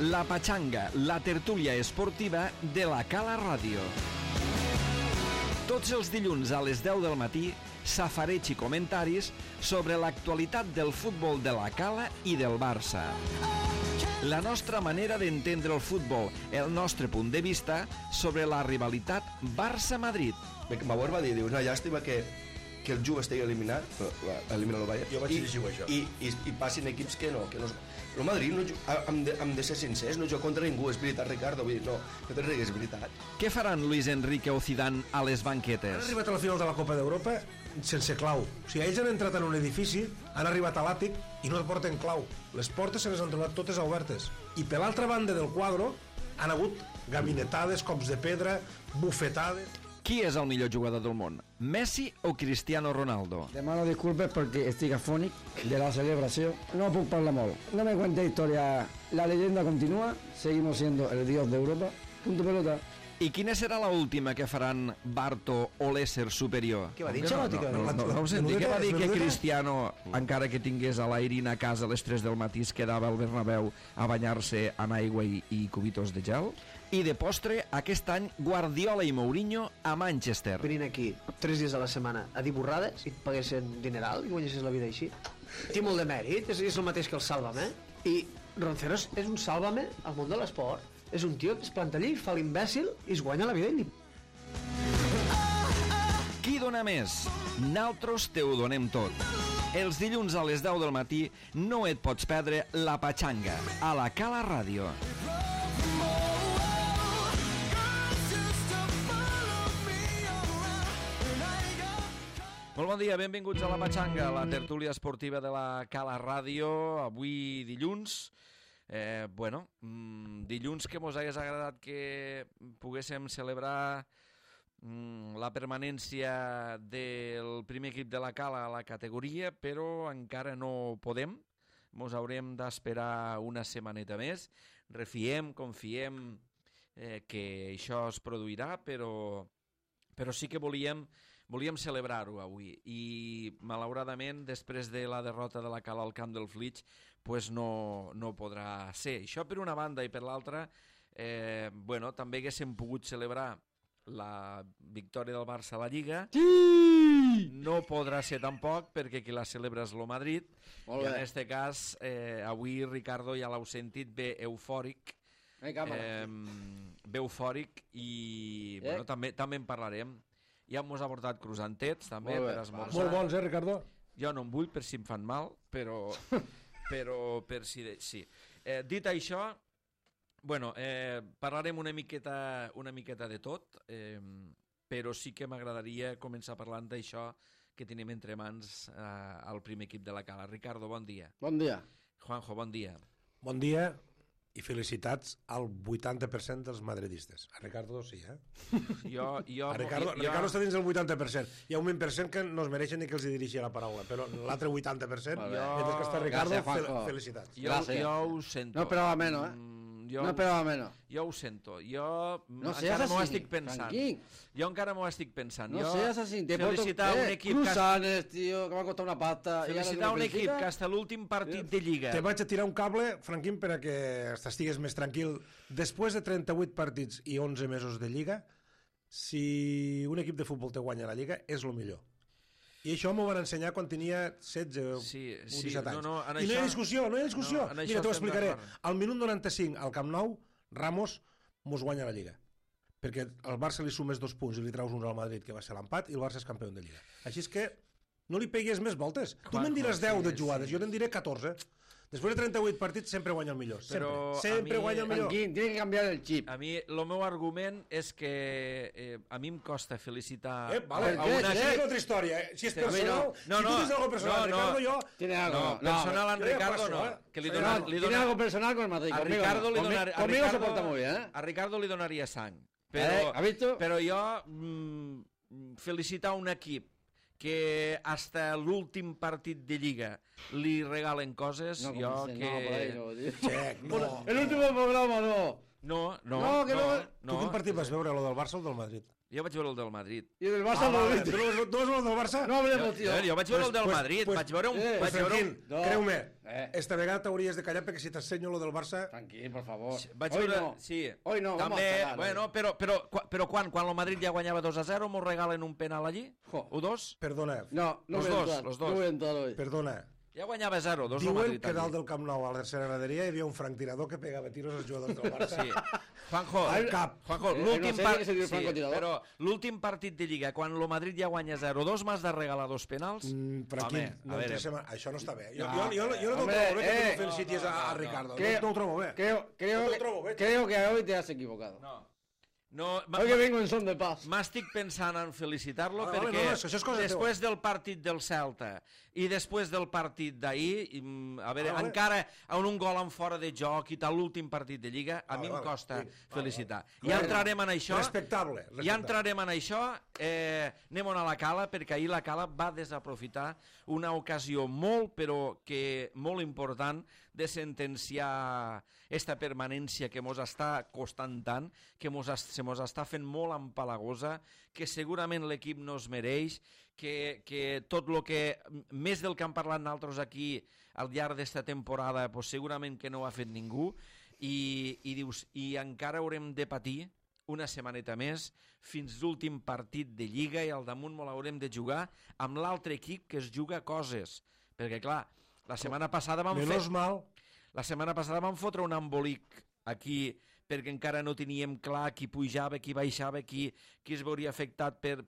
La Pachanga, la tertúlia esportiva de la Cala Ràdio. Tots els dilluns a les 10 del matí, safareig i comentaris sobre l'actualitat del futbol de la Cala i del Barça. La nostra manera d'entendre el futbol, el nostre punt de vista sobre la rivalitat Barça-Madrid. Bauer va dir, una llàstima que el Juve estigui eliminat, elimina el Bayern, jo vaig dir això. I passin equips que no. El Madrid, hem de ser sincers, no juga contra ningú, és veritat, Ricardo, vull dir, no te rigues, és veritat. Què faran Luis Enrique o Zidane a les banquetes? Han arribat a la final de la Copa d'Europa sense clau. O sigui, ells han entrat en un edifici, han arribat a l'àtic i no porten clau. Les portes se les han trobat totes obertes. I per l'altra banda del quadre han hagut gabinetades, cops de pedra, bufetades... Qui és el millor jugador del món? Messi o Cristiano Ronaldo? Demano disculpes perquè estic afònic de la celebració. No puc parlar molt. No me cuente historia. La leyenda continúa. Seguimos siendo el dios de Europa. Punto pelota. I quina serà l'última que faran Barto o l'ésser superior? Què va dir? No ho senti. Què va dir que Cristiano, encara que tingués a l'Airin a casa a les 3 del matí, es quedava al Bernabéu a banyar-se en aigua i cubitos de gel? I de postre, aquest any, Guardiola i Mourinho a Manchester. Venint aquí 3 dies a la setmana a dir borrades i et paguessin dineral i guanyessis la vida així. Té molt de mèrit, és el mateix que el Sálvame. I Ronceros és un Sálvame al món de l'esport. És un tio que es planta allí, fa l'imbècil i es guanya la vida ell. Qui dona més? Naltros te ho donem tot. Els dilluns a les 10 del matí no et pots perdre La Pachanga a la Cala Ràdio. Molt bon dia, benvinguts a La Pachanga, la tertúlia esportiva de la Cala Ràdio. Avui dilluns... dilluns que mos hagués agradat que poguéssim celebrar la permanència del primer equip de la Cala a la categoria, però encara no podem. Mos haurem d'esperar una setmaneta més. Refiem, confiem que això es produirà, però sí que volíem celebrar-ho avui i malauradament després de la derrota de la Cala al camp del Flix pues no podrà ser. Això per una banda, i per l'altra també haguéssim pogut celebrar la victòria del Barça a la Lliga. Sí! No podrà ser tampoc perquè qui la celebra és el Madrid i en aquest cas avui Ricardo ja l'heu sentit bé eufòric. Bé eufòric i també en parlarem. Ja mos ha portat croissantets també per esmorzar. Molt bons, Ricardo? Jo no en vull per si em fan mal, però per si... Sí. Dit això, parlarem una miqueta de tot, però sí que m'agradaria començar parlant d'això que tenim entre mans al primer equip de la Cala. Ricardo, bon dia. Bon dia. Juanjo, bon dia. Bon dia i felicitats al 80% dels madridistes. A Ricardo sí, Ricardo està dins del 80%. Hi ha un 20% que no es mereixen ni que els dirigui la paraula, però l'altre 80%, mentre que està Ricardo, felicitats. Jo ho sento. No esperava menys, Jo ho sento. Jo encara m'ho estic pensant. Jo encara m'ho estic pensant. No seas así. Felicitar un equip Cruzanes, tío, que m'ha costat una pasta. Felicitar un equip que hasta l'últim partit de Lliga. Te vaig a tirar un cable, Franquín, per a que estigues més tranquil. Després de 38 partits i 11 mesos de Lliga, si un equip de futbol te guanya la Lliga, és el millor. I això m'ho van ensenyar quan tenia 16 o 17 anys. I no hi ha discussió. Mira, t'ho explicaré. Al minut 95, al Camp Nou, Ramos mos guanya la Lliga. Perquè al Barça li sumes 2 punts i li traus un al Madrid, que va ser l'empat, i el Barça és campió de Lliga. Així és que no li peguis més voltes. Tu me'n diràs 10 de jugades, jo te'n diré 14. Després de 38 partits sempre guanya el millor. Sempre guanya el millor. Tiene que canviar el chip. A mi, el meu argument és que a mi em costa felicitar... Això és altra història. Si és personal, si tu tens algo personal, Ricardo, jo... Personal en Ricardo no. Tiene algo personal con el Madrid. Conmigo se porta muy bien. A Ricardo li donaria sang. Però jo felicitar un equip que hasta l'últim partit de Lliga li regalen coses, no, jo que... El último programa no. No. Tu quin partit vas veure, lo del Barça o del Madrid? Jo vaig veure el del Madrid. I el del Barça no l'he vist. Tu no vas veure el del Barça? No hablemos, tío. Jo vaig veure el del Madrid, vaig veure un... vaig veure Franquín, un... No. creu-me, esta Eh. vegada t'hauries de callar perquè si t'ensenyo lo del Barça... Tranquil, por favor. Vaig Hoy veure... no. Sí. Hoy no, vamos També, a cagar, bueno, però quan el Madrid ja guanyava 2-0, mos regalen un penal allí? Jo. O 2? Perdona, No, no Los voy a dos, entrar. los dos. No voy a entrar hoy. perdona. Ja guanyava 0-2 el Diuen Madrid. que dalt allí. del Camp Nou a la tercera graderia hi havia un franctirador que pegava tiros als jugadors del Barça. Sí. Juanjo, Al cap. Juanjo, no l'últim sé que se diu francotirador. però l'últim partit de Lliga, quan el Madrid ja guanya 0-2, m'has de regalar 2 penals? Franquín, Home, no a veure. això no està bé. Jo No, no hombre, trobo bé que tu felicitis a Ricardo. Creo- No ho trobo bé. Creo que hoy te has equivocado. No, Hoy que vengo en son de paz. m'estic pensant en felicitar-lo Vale, perquè no, això és cosa després del partit del Celta i després del partit d'ahir, a veure, Vale. encara amb un gol en fora de joc i tal, l'últim partit de Lliga, a Vale, mi em vale. costa Sí, felicitar. vale. Ja entrarem en això. Respectable. Ja entrarem en això, anem a la Cala, perquè ahir la Cala va desaprofitar una ocasió molt, però que molt important, de sentenciar esta permanència que mos està costant tant, que se mos està fent molt empalagosa, que segurament l'equip no es mereix, que tot el que, més del que han parlat nosaltres aquí al llarg d'esta temporada, pues segurament que no ho ha fet ningú, i dius, i encara haurem de patir una setmaneta més fins l'últim partit de Lliga i al damunt molt haurem de jugar amb l'altre equip que es juga coses. Perquè, clar, la setmana passada vam fotre un embolic aquí perquè encara no teníem clar qui pujava, qui baixava, qui es veuria afectat per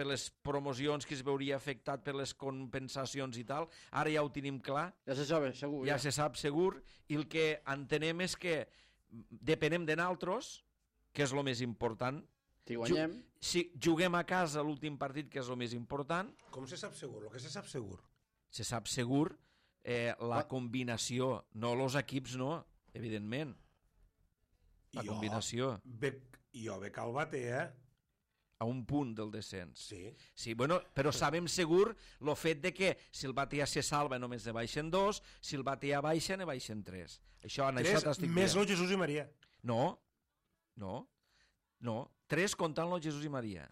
les promocions, qui es veuria afectat per les compensacions i tal. Ara ja ho tenim clar. Ya se sabe, seguro. Ja se sap segur, i el que entenem és que depenem de naltros, que és el més important. Si guanyem... Si juguem a casa l'últim partit, que és el més important, Com se sap segur? El que se sap segur. se sap segur la combinació, no els equips, no, evidentment. La combinació. Jo veig el bate, A un punt del descens. Sí. Sí, bueno, però sabem segur el fet de que si el Batea se salva només ne baixen 2, si el Batea baixa ne baixen 3. Això, en això t'estic Més dient. el Jesús i Maria. No. 3 comptant el Jesús i Maria.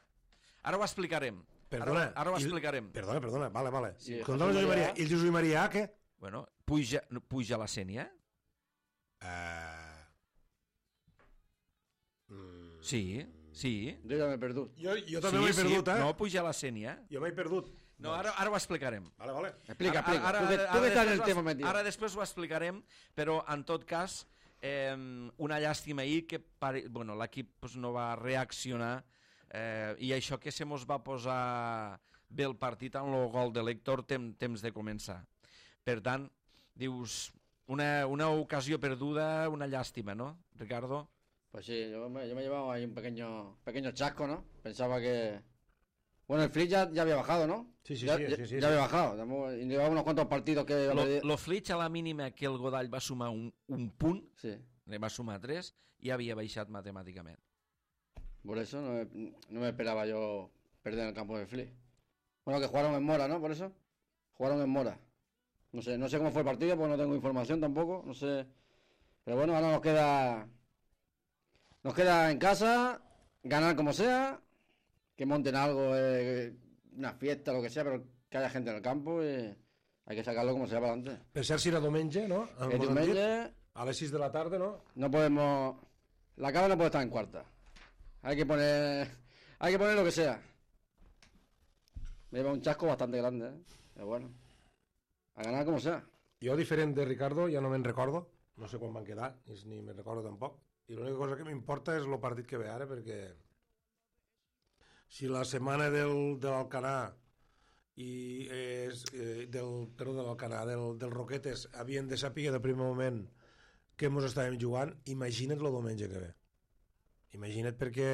Ara ho explicarem. Perdona. Ara ho explicarem. Perdona, vale. Sí, Contra el Jesús i Maria. I el Jesús i Maria, què? Bueno, puja la Sènia? Sí. Yo ya me he perdido. Jo també m'he perdut, No, puja la Sènia. Jo m'he perdut. No, ara ho explicarem. Vale. Explica. Tú que estás en el tema metido. Ara després ho explicarem, però en tot cas, una llàstima ahir que l'equip no va reaccionar i això que se mos va posar bé el partit amb el gol de l'Héctor temps de començar. Per tant, dius, una ocasió perduda, una llàstima, ¿no, Ricardo? Pues sí, yo me he llevado ahí un pequeño chasco, ¿no? Pensaba que... Bueno, el Flick ya había bajado, ¿no? Sí. Ya había bajado. Y llevaba unos cuantos partidos que... Lo Flitch a la mínima que el Godall va sumar un punt, Sí. ne va sumar 3, i havia baixat matemàticament. Por eso no me esperaba yo perder en el campo de Flick. Bueno, que jugaron en Mora, ¿no? Por eso. Jugaron en Mora. No sé cómo fue el partido, porque no tengo información tampoco. No sé. Pero bueno, ahora nos queda en casa, ganar como sea, que monten algo, una fiesta, lo que sea, pero que haya gente en el campo y hay que sacarlo como sea para adelante. Pensar si era diumenge, no? El diumenge A les 6 de la tarda, no? no podemos... La Cava no puede estar en cuarta. Hay que poner lo que sea. Me lleva un chasco bastante grande, ¿eh? Pero bueno, a ganar como sea. Jo, diferent de Ricardo, ja no me'n recordo. No sé quan van quedar, ni me'n recordo tampoc. I l'única cosa que m'importa és el partit que ve ara, perquè si la setmana de l'Alcanar i del Roquetes havien de saber de primer moment que ens estàvem jugant, imagina't el diumenge que ve. Imagina't, perquè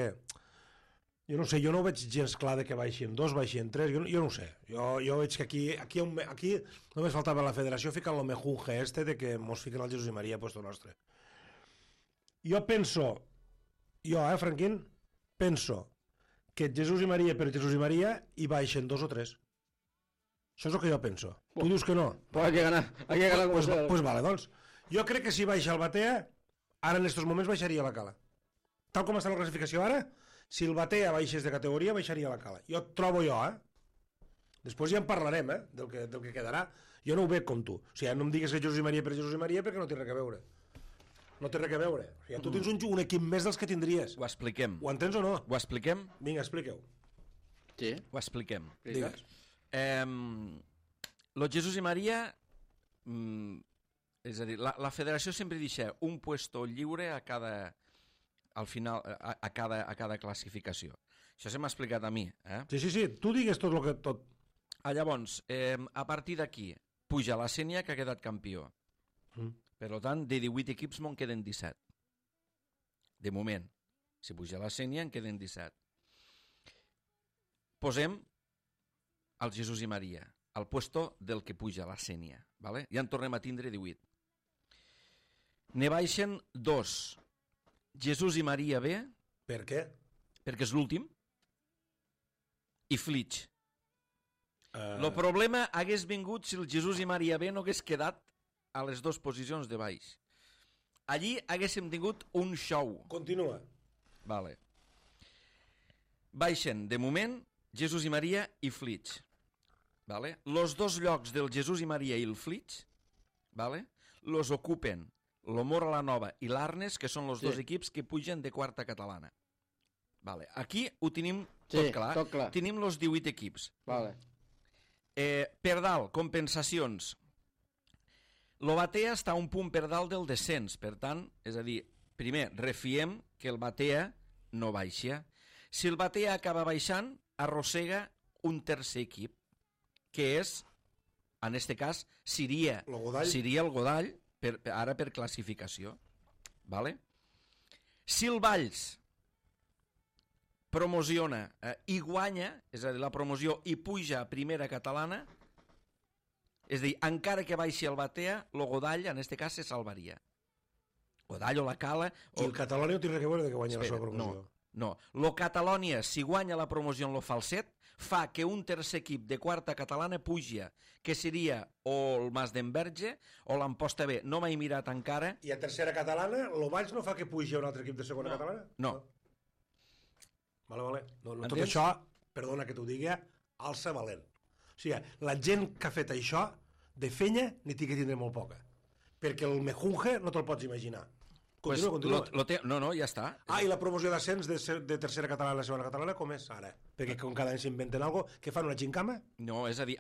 jo no sé, jo no veig gens clar de que baixin 2, baixin 3, jo no ho sé. Jo veig que aquí només faltava la federació ficant el mejunge de que mos fiquen el Jesús i Maria a puesto nostre. Jo penso, Franquín, penso que Jesús i Maria per Jesús i Maria hi baixen 2 o 3. Això és el que jo penso. Tu dius que no? Pues hay que ganar como sea. Pues vale, doncs. Jo crec que si baixa el Batea, ara en estos moments baixaria la Cala. Tal com està la classificació ara, Si el Batea baixés de categoria, baixaria la Cala. Jo trobo jo, Després ja en parlarem, del que quedarà. Jo no ho veig com tu. O sigui, no em digues que Jesús i Maria per Jesús i Maria perquè no té res a veure. No té res a veure. O sigui, tu tens un equip més dels que tindries. Ho expliquem. Ho entens o no? Ho expliquem? Vinga, expliqueu. Sí. Ho expliquem. Digues. Lo Jesús i Maria... és a dir, la federació sempre deixa un puesto lliure a cada... al final, a cada classificació. Això se m'ha explicat a mi. Sí, tu digues tot el que... tot. Llavors, a partir d'aquí, puja la Sénia, que ha quedat campió. Per tant, de 18 equips me'n queden 17. De moment. Si puja la Sénia, en queden 17. Posem el Jesús i Maria, al puesto del que puja la Sénia. Vale? Ja en tornem a tindre 18. Ne baixen 2. Jesús i Maria B. Per què? Perquè és l'últim. I Flitx. El problema hagués vingut si el Jesús i Maria B no hagués quedat a les 2 posicions de baix. Allí haguéssim tingut un show. Continua. Vale. Baixen, de moment, Jesús i Maria i Flitx. Vale? Los 2 llocs del Jesús i Maria i el Flitx, vale? Los ocupen lo Mora la Nova i l'Arnes, que són els 2 equips que pugen de quarta catalana. Vale. Aquí ho tenim tot clar. Tot clar. Tenim els 18 equips. Vale. Per dalt, compensacions. Lo Batea està un punt per dalt del descens, per tant, és a dir, primer, refiem que el Batea no baixa. Si el Batea acaba baixant, arrossega un tercer equip, que és, en este cas, seria el Godall, ara per classificació. Vale? Si el Valls promociona i guanya, és a dir, la promoció i puja a primera catalana, és a dir, encara que baixi el Batea, el Godall, en este cas, se salvaria. Godall o la Cala... I el Catalònia no té res a veure que guanya la seva promoció. No. Lo Catalònia, si guanya la promoció en lo falset, fa que un tercer equip de quarta catalana puja, que seria o el Mas d'Enverge o l'Amposta B. No m'he mirat encara. I a tercera catalana, el Valls no fa que pugi un altre equip de segona catalana? No. Vale. No, tot això, perdona que t'ho digui, alça valent. O sigui, la gent que ha fet això, de fenya, n'hi té que tindre molt poca. Perquè el mejunje no te'l pots imaginar. Continua. No, ja està. I la promoció d'ascens de tercera catalana a la segona catalana, com és ara? Perquè com cada any s'inventen alguna cosa, què fan, una gincama? No, és a dir,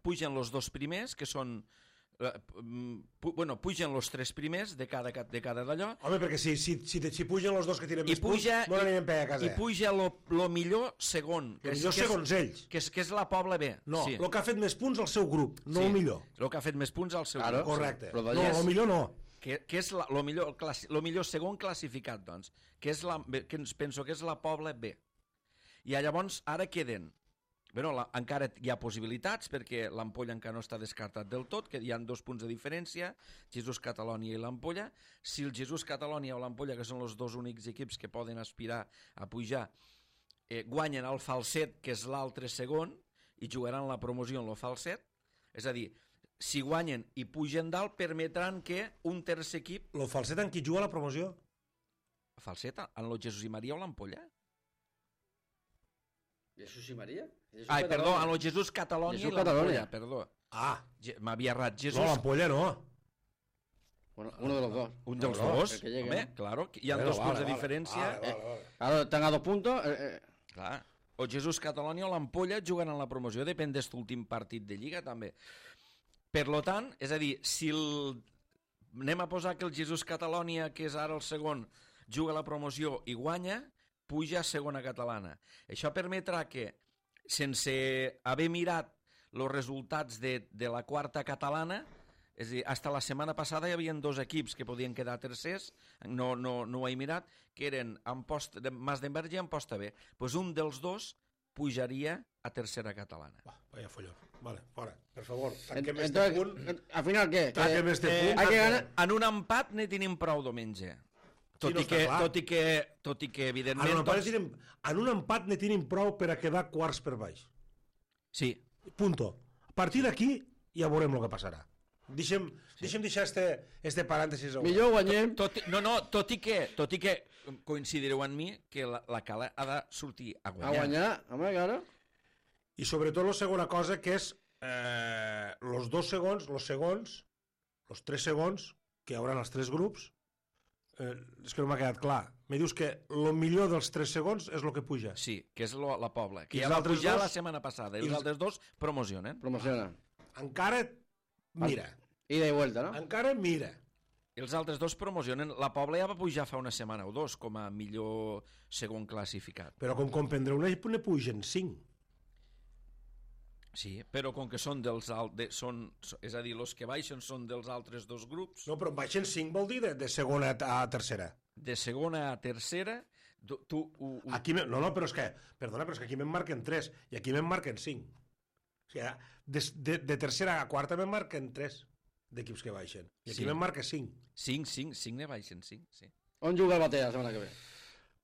pugen els 2 primers, que són... pugen els 3 primers de cada d'allò. Home, perquè si pugen els 2 que tiren més punts, no n'anirem per a casa. I puja lo millor segon. El millor segons ells. Que és la Pobla B. No, el que ha fet més punts al seu grup, no el millor. El que ha fet més punts al seu grup. Correcte. No, el millor no. Que és el millor segon classificat, doncs, que penso que és la Pobla B. I llavors ara queden... encara hi ha possibilitats, perquè l'Ampolla encara no està descartat del tot, que hi ha 2 punts de diferència, Jesús Catalònia i l'Ampolla. Si el Jesús Catalònia o l'Ampolla, que són els 2 únics equips que poden aspirar a pujar, guanyen el falset, que és l'altre segon, i jugaran la promoció en el falset, és a dir, si guanyen i pugen dalt, permetran que un tercer equip... El falset en qui juga la promoció? El falset en el Jesús i Maria o l'Ampolla? Jesús i Maria? Perdó, en el Jesús Catalònia i l'Ampolla, perdó. M'havia errat. No, l'Ampolla no. Bueno, uno de los dos. Un dels dos, home, claro. Hi ha 2 punts de diferència. Claro, tenga 2 puntos... Clar. O Jesús Catalònia o l'Ampolla juguen en la promoció, depèn d'aquest últim partit de Lliga, també. Per lo tant, és a dir, si anem a posar que el Jesús Catalònia, que és ara el segon, juga a la promoció i guanya, puja a segona catalana. Això permetrà que, sense haver mirat els resultats de la quarta catalana, és a dir, fins la setmana passada hi havia 2 equips que podien quedar tercers, no ho he mirat, que eren Mas d'Enverge i Amposta B. Doncs un dels 2 pujaria a tercera catalana. Vaya follón. Vale, fora, per favor. Entonces, al final, ¿qué? Tanquem este punt. Hay que ganar. En un empat ne tenim prou diumenge. Tot i que evidentment... En un empat ne tenim prou per a quedar quarts per baix. Sí. Punto. A partir d'aquí ja veurem el que passarà. Deixem deixar este parèntesis. Millor guanyem. Tot i que coincidireu amb mi que la Cala ha de sortir a A guanyar. guanyar, home, claro. I sobretot la segona cosa, que és los tres segons que hi haurà els tres grups, és que no m'ha quedat clar. Me dius que el millor dels 3 segons és el que puja. Sí, que és la Pobla, que I ja els va altres pujar dos? la setmana passada, i els altres dos promocionen. Promociona. Encara mira. Ida i vuelta, no? Encara mira. Els altres dos promocionen. La Pobla ja va pujar fa una setmana o dos com a millor segon classificat. Però com comprendreu, ne pugen 5. Sí, però com que són dels és a dir, els que baixen són dels altres dos grups, No, però baixen 5 vol dir de segona a tercera. de segona a tercera, Aquí no, però és que, perdona, però és que aquí me'n marquen 3 i aquí me'n marquen 5. O sigui, de tercera a quarta me'n marquen 3 d'equips que baixen. I aquí Sí. me'n marca 5. 5 ne baixen, 5, sí. On juga el Batea la setmana que ve?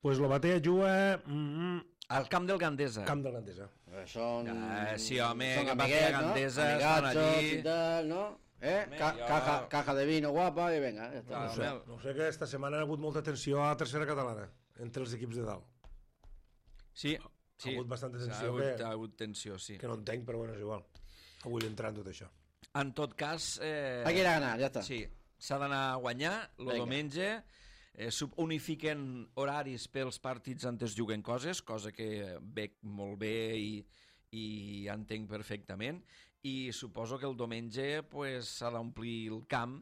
Pues lo Batea juga Al camp del Gandesa. Camp del Gandesa. Són... Sí, home, són que amiguets, Batea, Gandesa, no? estan Amigachos allí. i tal, no? Home, Caja de vino guapa i venga, ja està. Clar. No sé que esta setmana ha hagut molta tensió a la tercera catalana entre els equips de dalt. Sí, Ha hagut bastanta ha tensió ha hagut tensió, sí. que no entenc, però bueno, és igual. No vull entrar en tot això. En tot cas... Hay que ir a ganar, ja està. Sí, s'ha d'anar a guanyar el Vinga. diumenge, unifiquen horaris pels partits on es juguen coses, cosa que veig molt bé i entenc perfectament, i suposo que el diumenge pues, s'ha d'omplir el camp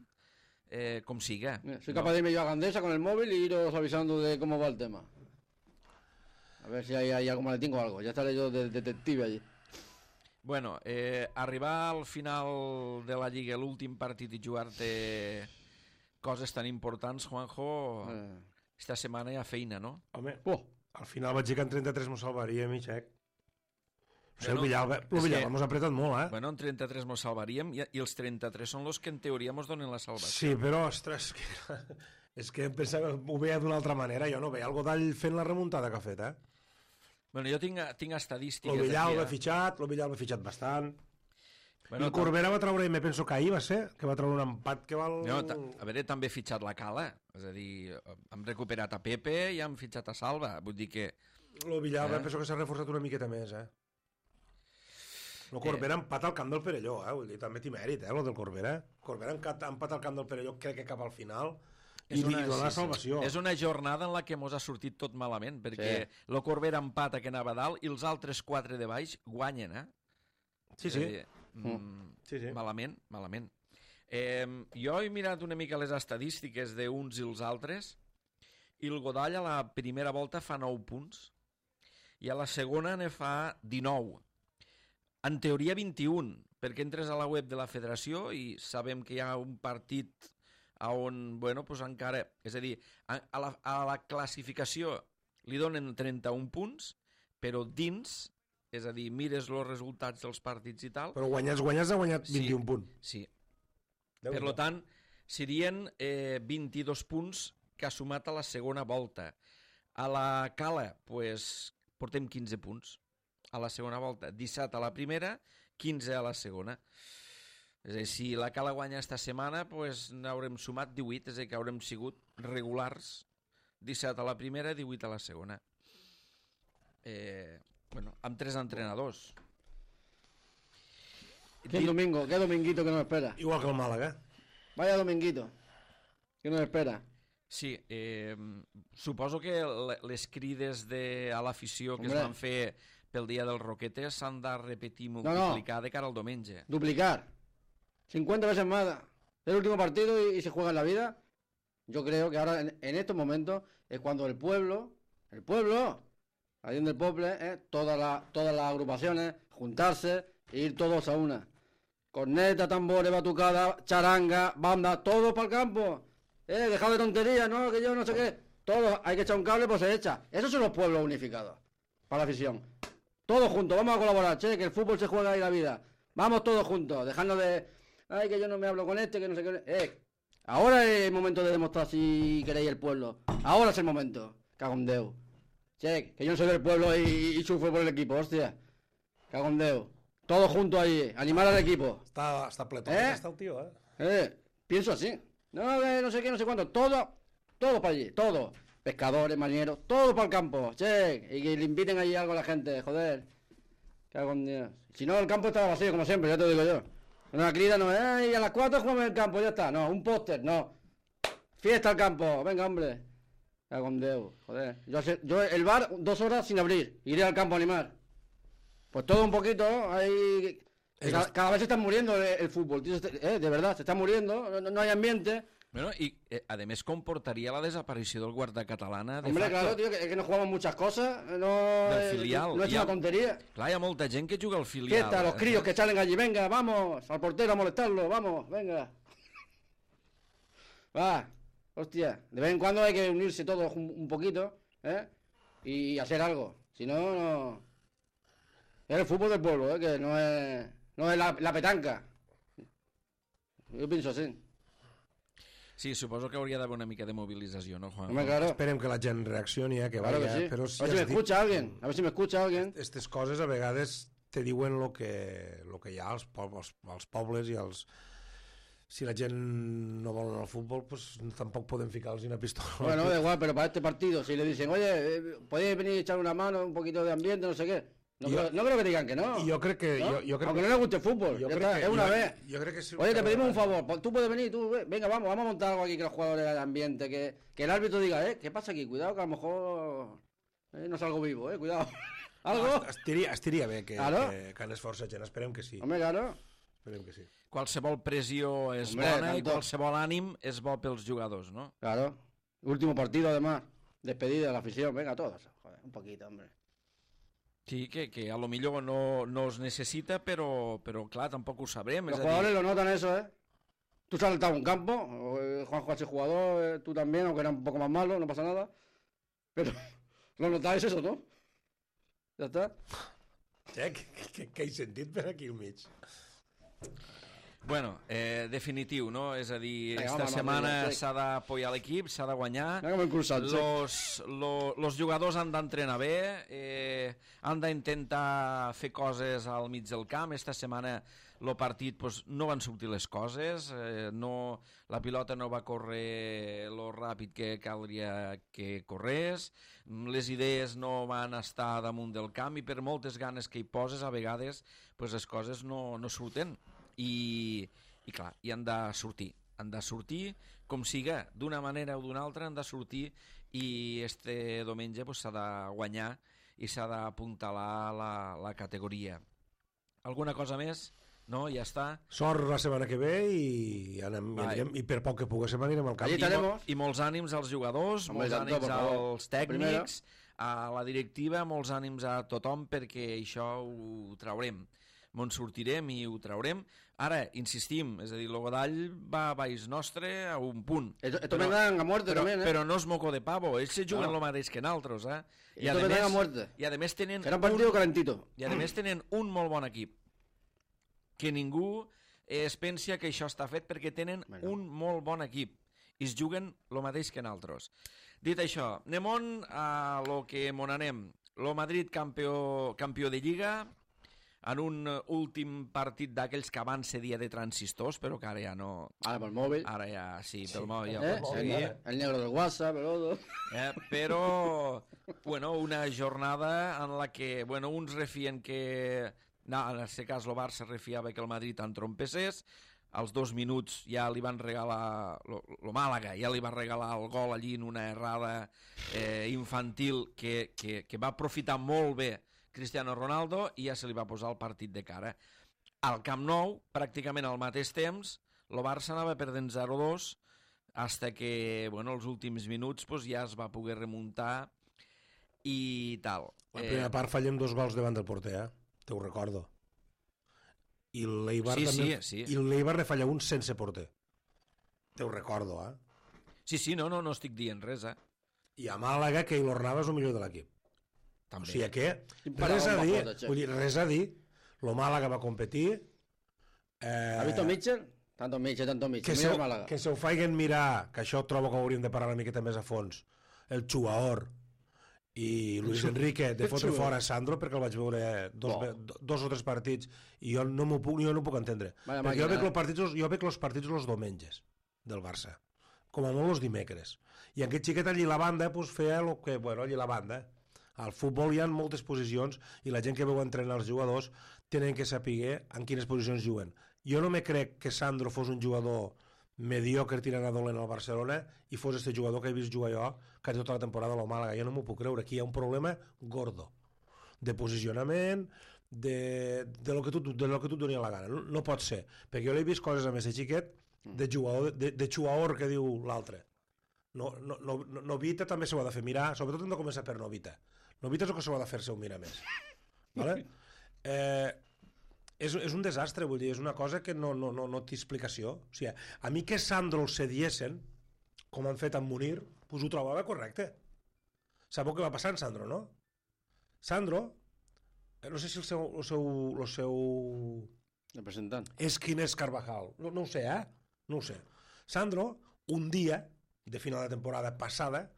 com siga. Soy capaz de irme yo a Gandesa con el móvil y iros avisando de cómo va el tema. A ver si hay algo maletín o algo. Ya estaré yo de detective allí. Bueno, arribar al final de la Lliga, l'últim partit i jugar-te coses tan importants, Juanjo, esta setmana hi ha feina, no? Home, Oh, al final vaig dir que en 33 m'ho salvaríem i xec. O sigui, Bueno, el Villalba mos ha apretat molt, eh? Bueno, en 33 mos salvaríem i els 33 són els que en teoria mos donen la salvació. Sí, però, ostres, és que em pensava, ho veia d'una altra manera. Jo no veia el Godall fent la remuntada que ha fet, eh? Bueno, jo tinc estadístiques... El Villalba aquí, ha fitxat bastant. Bueno, el Corbera va treure, me penso que ahir va ser, que va treure un empat que val... No, a veure, també he fitxat la Cala, és a dir, hem recuperat a Pepe i hem fitxat a Salva, vull dir que... El Villalba penso que s'ha reforçat una miqueta més, eh? El Corbera empat al camp del Perelló, vull dir, també té mèrit, lo del Corbera. Corbera empat al camp del Perelló, crec que cap al final, i li dona la salvació. És una jornada en la que mos ha sortit tot malament, perquè el Corbera empata que anava a dalt i els altres 4 de baix guanyen, eh? Sí. Sí. Malament. Jo he mirat una mica les estadístiques d'uns i els altres i el Godall a la primera volta fa 9 punts i a la segona ne fa 19. En teoria 21, perquè entres a la web de la federació i sabem que hi ha un partit on, bueno, pues encara... És a dir, a la classificació li donen 31 punts, però dins... És a dir, mires els resultats dels partits i tal... Però guanyat ha guanyat 21 punts. Sí. Per tant, serien 22 punts que ha sumat a la segona volta. A la Cala, pues, portem 15 punts a la segona volta. 17 a la primera, 15 a la segona. És a dir, si la Cala guanya esta setmana, pues, n'haurem sumat 18, és a dir, que haurem sigut regulars. 17 a la primera, 18 a la segona. Bueno, amb 3 entrenadors. qué dominguito que nos espera. Igual que el Màlaga. Vaya dominguito que nos espera. Sí, suposo que les crides a l'afició que es van fer pel dia del Roquetes s'han de repetir i multiplicar de cara al diumenge. Duplicar. 50 veces más. El último partido y se juega en la vida. Yo creo que ahora, en estos momentos, es cuando el pueblo, ahí en el Poble, todas las agrupaciones, juntarse e ir todos a una. Corneta, tambores, batucada, charanga, banda, todos para el campo. Dejad de tonterías, ¿no? Que yo no sé qué. Todos, hay que echar un cable, pues se echa. Esos son los pueblos unificados, para la afición. Todos juntos, vamos a colaborar, che, que el fútbol se juega ahí la vida. Vamos todos juntos, dejando de... Ay, que yo no me hablo con este, que no sé qué... Ahora es el momento de demostrar si queréis el pueblo. Ahora es el momento. Cago en Déu. Che, que yo no soy del pueblo y sufro por el equipo, hostia. Cago en Déu. Todos juntos ahí, animar al equipo. Està pletón, està el tio, Pienso así. No sé qué, no sé cuánto. Todo para allí, todo. pescadores, marineros, todos para el campo, che, y que le inviten allí algo a la gente, joder. Cago en Dios. Si no, el campo estaba vacío, como siempre, ya te lo digo yo. Una crida no es, y a las 4 jugamos en el campo, ya está. No, un póster, no. Fiesta al campo, venga, hombre. Cago en Dios, joder. Yo el bar 2 horas sin abrir, iré al campo a animar. Pues todo un poquito, ahí... Cada vez se está muriendo el fútbol, tío, de verdad, se está muriendo, no hay ambiente. Bueno, i a més comportaria la desaparició del guarda catalana de Hombre, facto. claro, tío, que no jugamos muchas cosas, Del no filial. es una tontería. Clar, hi ha molta gent que juga al filial. Fiesta, los críos que salen allí, venga, vamos, al portero a molestarlo, vamos, venga. Va, hostia, de vez en cuando hay que unirse todos un poquito, ¿eh? Y hacer algo, si no, no... Es el fútbol del pueblo, ¿eh? Que no es la petanca. Yo pienso así. Sí, suposo que hauria d'haver una mica de mobilització, no, Juan? Hombre, claro. Esperem que la gent reaccioni, que Claro vaya, que sí. però A ver si me has dit, escucha alguien, a ver si me escucha alguien. Aquestes coses a vegades te diuen lo que hi ha als pobles i als... Si la gent no vol anar al futbol, pues tampoc podem ficar-los una pistola. Bueno, da igual, pero para este partido, si le dicen, oye, podéis venir a echar una mano, un poquito de ambiente, no sé qué. No creo que digan que no. I jo crec que... ¿no? Jo crec Aunque no les guste el fútbol, jo ya crec está, que- es una jo- vez. Jo crec que sí. Oye, te pedimos un favor, pues tú puedes venir, venga, vamos a montar algo aquí que los jugadores del ambiente, que el árbitro diga, ¿qué pasa aquí? Cuidado que a lo mejor no salgo vivo, cuidado. ¿Algo? Estiria bé que Claro. anés força gent, esperem que sí. Hombre, claro. Esperem que sí. Qualsevol pressió és Hombre, bona i tanto. qualsevol ànim és bo pels jugadors, no? Claro. Último partido, además. Despedida de la afición, venga, todos. Joder, un poquito, hombre. Sí, que a lo millor no es necessita, però clar, tampoc ho sabrem. Los És a jugadores dir, lo notan eso, ¿eh? Tú saltas a un campo, Juanjo ha sido jugador, tú también, aunque era un poco más malo, no pasa nada. Pero lo notáis eso, ¿no? Ya está. Què he sentit per aquí al mig? bueno, definitiu, no? És a dir, Vinga, esta home, setmana Madrid, s'ha d'apoyar l'equip, s'ha de guanyar. Mira com hem cruzat, sí. Los jugadors han d'entrenar bé, han d'intentar fer coses al mig del camp. Esta setmana el partit pues, no van sortir les coses, la pilota no va córrer lo ràpid que caldria que corrés, les idees no van estar damunt del camp i per moltes ganes que hi poses a vegades pues, les coses no surten i clar, i han de sortir com siga, d'una manera o d'una altra han de sortir i este diumenge pues, s'ha de guanyar i s'ha d'apuntalar la categoria. Alguna cosa més? No, ja està. Sort la setmana que ve i anirem, i per poc que poguéssim anirem al camp. Allí estaremos. I molts ànims als jugadors, Hombre, molts tanto, ànims por favor. als tècnics, a la directiva, molts ànims a tothom perquè això ho traurem. M'on sortirem i ho traurem. Ara, insistim, és a dir, el Godall va a baix nostre a un punt. Esto me dan a muerte también, ¿eh? Però no és moco de pavo, ells se juguen No. el mateix que nosaltres, eh? Esto me dan a muerte. I a més tenen Será un partido calentito. i a més tenen un molt bon equip. Que ningú es pensa que això està fet perquè tenen un molt bon equip i es juguen el mateix que nosaltres. Dit això, anem a lo que mon anem. Lo Madrid campió de Lliga en un últim partit d'aquells que abans se dia de transistors, però que ara ja no... Ahora por el móvil. Ara ja, sí, pel mòbil ja ho pots El seguir. negro del WhatsApp, el otro. Però, bueno, una jornada en la que, bueno, uns refien que... No, en aquest cas el Barça refiava que el Madrid entrompessés, als 2 minuts ja li van regalar el Màlaga, ja li va regalar el gol allí en una errada infantil que va aprofitar molt bé Cristiano Ronaldo i ja se li va posar el partit de cara. Al Camp Nou, pràcticament al mateix temps, el Barça anava perdent 0-2 hasta que, bueno, els últims minuts pues, ja es va poder remuntar i tal. La primera part fallem 2 gols davant del porter, te ho recordo. I l'Eibar també... Sí. I l'Eibar ne falla un sense porter. Te ho recordo, Sí, no estic dient res, I a Màlaga, que l'Ornava és el millor de l'equip. També. O sigui que, Para res a bomba dir. flota, che. Vull dir, res a dir. Lo Màlaga va competir. ¿Has visto Mitchell? Tanto Mitchell. Que Mira el Málaga. se ho faiguen mirar, que això trobo que hauríem de parlar una miqueta més a fons, el Chuaor i Luis Enrique de fotre fora Sandro, perquè el vaig veure dos o tres partits i jo no puc entendre. Vaya Perquè jo màquina, veig els partits els diumenges del Barça. com a molt els dimecres. I aquest xiquet allí a la banda pues, feia el que, bueno, allí a la banda. Al futbol hi ha moltes posicions i la gent que veu entrenar els jugadors tenen que saber en quines posicions juguen. Jo no me crec que Sandro fos un jugador mediocre tirant a dolent al Barcelona i fos este jugador que he vist jugar jo quasi tota la temporada a la Màlaga. Jo no m'ho puc creure. Aquí hi ha un problema gordo de posicionament, de lo que tu et doni la gana. No pot ser. Perquè jo l'he vist coses amb aquest xiquet de jugador que diu l'altre. Novita també s'ho ha de fer mirar, sobretot hem de començar per Novita. Novita és el que s'ho ha de fer-se un mirar més. Vale? És un desastre, vull dir, és una cosa que no té explicació. O sigui, a mi que Sandro el cediesen, com han fet amb Munir, pues ho trobava correcte. Sabeu què va passar amb Sandro, no? Sandro, no sé si el seu representant és quin és Carvajal, no ho sé, no ho sé. Sandro, un dia de final de temporada passada,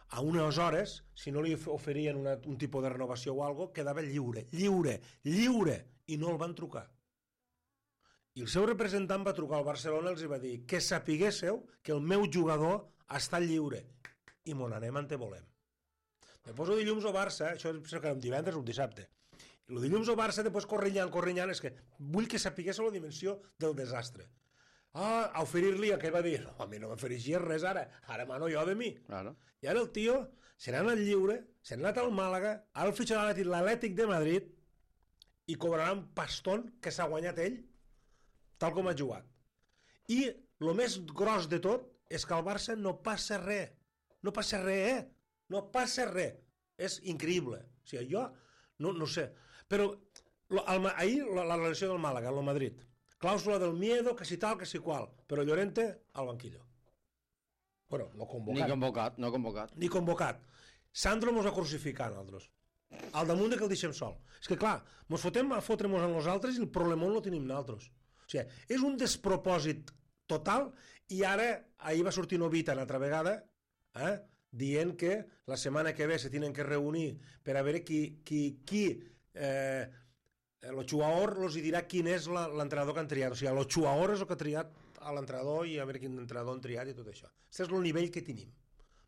a unes hores, si no li oferien un tipus de renovació o alguna cosa, quedava lliure, i no el van trucar. I el seu representant va trucar al Barcelona i els va dir que sapiguésseu que el meu jugador està lliure i mon anem on te volem. Me poso dilluns al Barça, això és que era un divendres o un dissabte, i el dilluns al Barça, després corrinyant, és que vull que sapiguésseu la dimensió del desastre. A oferir-li, aquell va dir, no, a mi no m'oferixies res ara mano jo de mi. claro. I ara el tio se n'ha anat lliure, se n'ha anat al Màlaga, ara el fitxa l'Atlètic de Madrid i cobrarà un paston que s'ha guanyat ell tal com ha jugat. I el més gros de tot és que al Barça no passa res. No passa res. És increïble. O sigui, jo no sé. Però ahir la relació del Màlaga, el Madrid, clàusula del miedo, que si tal, que si qual, però Llorente al banquillo. Bueno, no convocat. Ni convocat. Sandro mos va crucificar a nosaltres. Al damunt de que el deixem sol. És que clar, mos fotem a fotre-mos a nosaltres i el problemó no el tenim nosaltres. O sigui, és un despropòsit total i ara, ahir va sortir Novita una altra vegada, dient que la setmana que ve se tenen que reunir per a veure qui el jugador els dirà quin és l'entrenador que han triat. O sigui, el jugador és el que ha triat a l'entrenador i a veure quin entrenador han triat i tot això. Aquest és el nivell que tenim.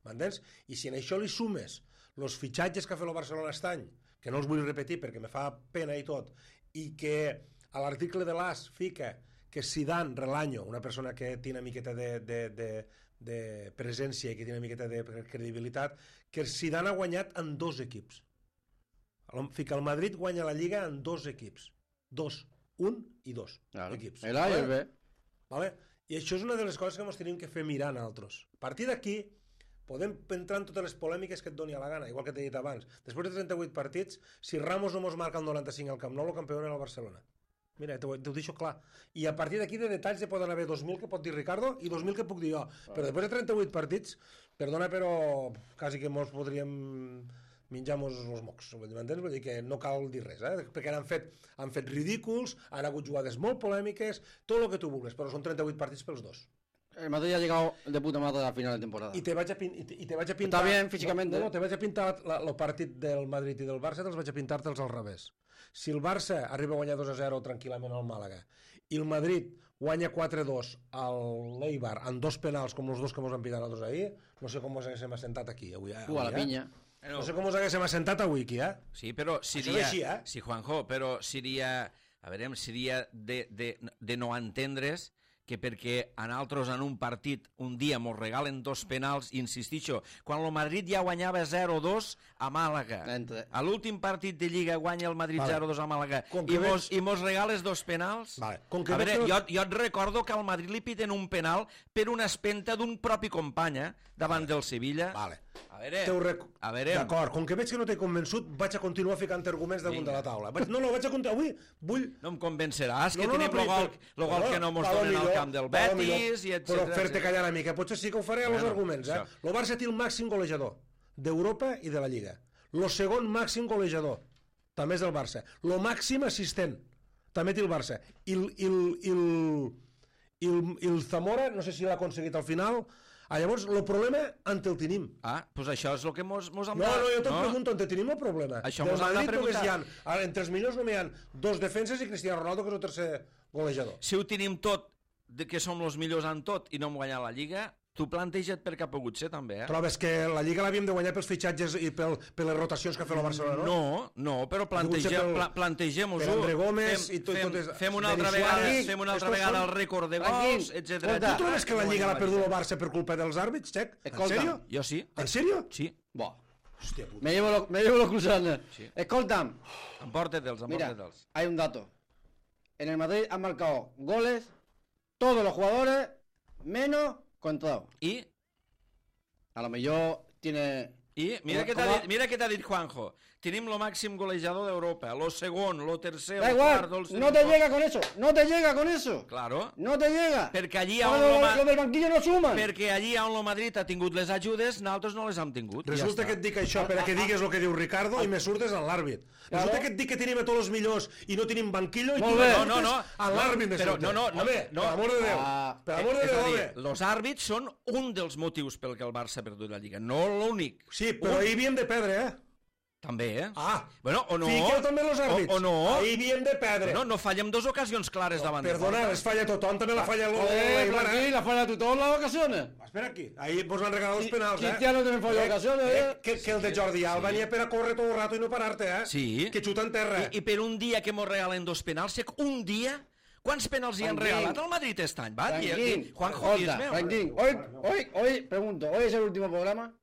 M'entens? I si en això li sumes els fitxatges que ha fet el Barcelona aquest any, que no els vull repetir perquè me fa pena i tot, i que a l'article de l'AS fica que Zidane Relaño, una persona que té una miqueta de presència i que té una miqueta de credibilitat, que Zidane ha guanyat en 2 equips. Fica el Madrid guanya la Lliga en 2 equips. 1 i 2 equips. El A i el B. Vale? I això és una de les coses que ens tenim que fer mirar nosaltres. A partir d'aquí podem entrar en totes les polèmiques que et doni a la gana, igual que t'he dit abans. Després de 38 partits, si Ramos no mos marca el 95 al Camp Nou, el campió era el Barcelona. Mira, t'ho deixo clar. I a partir d'aquí de detalls hi poden haver 2.000 que pot dir Ricardo i 2.000 que puc dir jo. Però després de 38 partits, perdona, però quasi que mos podríem menjar-nos els mocs, m'entens? Vull dir que no cal dir res, perquè han fet ridículs, han hagut jugades molt polèmiques, tot el que tu vulguis, però són 38 partits pels dos. El Madrid ha llegado de puta madre a final de temporada. I te vaig a pintar... Està bien físicamente. No, te vaig a pintar el partit del Madrid i del Barça, te'ls vaig a pintar-te'ls al revés. Si el Barça arriba a guanyar 2-0 tranquil·lament al Màlaga i el Madrid guanya 4-2 al l'Eibar amb 2 penals com els 2 que mos han pitat nosaltres ahir, no sé com mos haguéssim assentat aquí avui. A la pinya. No sé com us haguéssim assentat avui aquí, Sí, però seria... Així, sí, Juanjo, però seria... A veure, seria de no entendre's que perquè a nosaltres en un partit un dia mos regalen 2 penals, i insistixo, quan el Madrid ja guanyava 0-2 a Màlaga, a l'últim partit de Lliga guanya el Madrid 0-2 a Màlaga i mos regales 2 penals, a veure, jo et recordo que al Madrid li piten un penal per una espenta d'un propi company davant del Sevilla. A veure... D'acord, com que veig que no t'he convençut, vaig a continuar ficant arguments damunt de la taula. Vaig a continuar, avui vull... No em convenceràs, que tenim el gol que no mos donen al camp del Betis, i etcètera. Però fer-te callar una mica, potser sí que ho faré als arguments. El Barça té el màxim golejador d'Europa i de la Lliga. El segon màxim golejador també és del Barça. El màxim assistent també té el Barça. I el Zamora, no sé si l'ha aconseguit al final... Llavors, el problema on el tenim? Doncs això és el que mos han de... No, jo te'n pregunto, on tenim el problema? Això mos han de preguntar. Entre els millors només hi ha 2 defenses i Cristiano Ronaldo, que és el tercer golejador. Si ho tenim tot, que som els millors en tot i no hem guanyat la Lliga, tu planteja't per què ha pogut ser, també, Trobes que la Lliga l'havíem de guanyar pels fitxatges i per les rotacions que ha fet el Barcelona, no? No, però plantegem-ho. Per André Gómez i tot... Fem una altra vegada el rècord de gols, etc. Tu trobes que la Lliga l'ha perdut el Barça per culpa dels àrbits, Xec? ¿En serio? Jo sí. ¿En serio? Sí. Buah. Hòstia puta. Me llevo los cruzanes. Sí. Escolta'm. Empórtete'ls. Mira, hay un dato. En el Madrid han marcado goles todos los jugadores menos Contrao. I? A lo mejor tiene... I mira què t'ha dit Juanjo. Tenim lo màxim golejador d'Europa, lo segon, lo tercer, Da lo igual, quart, no te llega con eso, no te llega con eso. Claro. No te llega. Perquè allí Lo del banquillo no suman. Perquè allí on el Madrid ha tingut les ajudes, nosaltres no les hem tingut. Resulta que et dic això per a que digues el que diu Ricardo i me surtes en l'àrbit. Resulta que et dic que tenim a tots els millors i no tenim banquillo i tu me surtes a l'àrbit me surtes. Home, per amor de Déu. Per amor de Déu, home. Els àrbits són un dels motius pel que el Barça ha perdut la Lliga, no l'únic. Sí, però ahir havíem de perdre, També, Bueno, o no. Fiqueu també els àrbits. O no. Ahir havíem de perdre. No fallem dos ocasions clares davant de Perdona, les falla tothom, també la falla Aquí la falla tú todas las ocasiones. Espera aquí, ahir vos han regalat els penals, Cristiano també falla ocasiones, Que el de Jordi Alba n'hi ha per a córrer tot el rato i no parar-te, Sí. Que xuta en terra. I per un dia que mos regalen dos penals, un dia... Quants penals hi han regalat al Madrid este any? Va, Juanjo, Franquín, hoy, pregunto, ¿hoy es el último programa?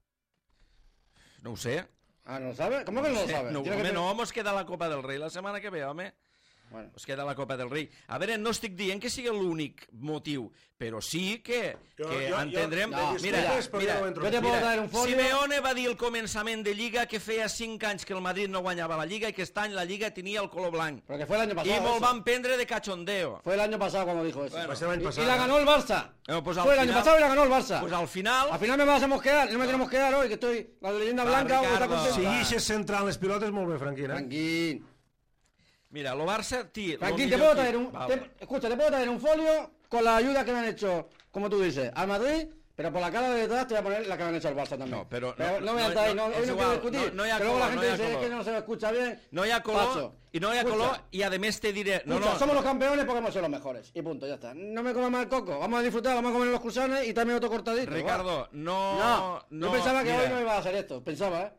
No ho sé. Ah, ¿no lo sabe? ¿Cómo que no lo sabe? No, mos queda la Copa del Rei la setmana que ve, home. Bueno. Us queda la Copa del Rei. A veure, no estic dient que sigui l'únic motiu, però sí que entendrem... Mira, yo te puedo traer un folio... Simeone va dir al començament de Lliga que feia 5 anys que el Madrid no guanyava la Lliga i que aquest any la Lliga tenia el color blanc. Pero que fue el año pasado. I me'l van prendre de cachondeo. Fue el año pasado cuando dijo eso. Bueno, y la ganó el Barça. Pues fue el año pasado y la ganó el Barça. Pues al final... Al final me vas a mosquear, no me tenemos que dar hoy, que estoy... La leyenda blanca está contenta. Si guixes central les pilotes, molt bé, Franquín, Franquín. Mira, lo Barça... Franquín, te puedo traer escucha, te puedo traer un folio con la ayuda que me han hecho, como tú dices, al Madrid, pero por la cara de detrás te voy a poner la que me han hecho al Barça también. No, pero no me hoy no quiero discutir. No hi ha que luego color, la gente dice que no se escucha bien. No hi ha color, Paso. i no hi ha color, i a més te diré... Somos los campeones porque hemos sido los mejores. Y punto, ya está. No me comas mal coco. Vamos a disfrutar, vamos a comer los cruzanes y también otro cortadito. Ricardo, yo pensaba que hoy no iba a hacer esto. Pensaba,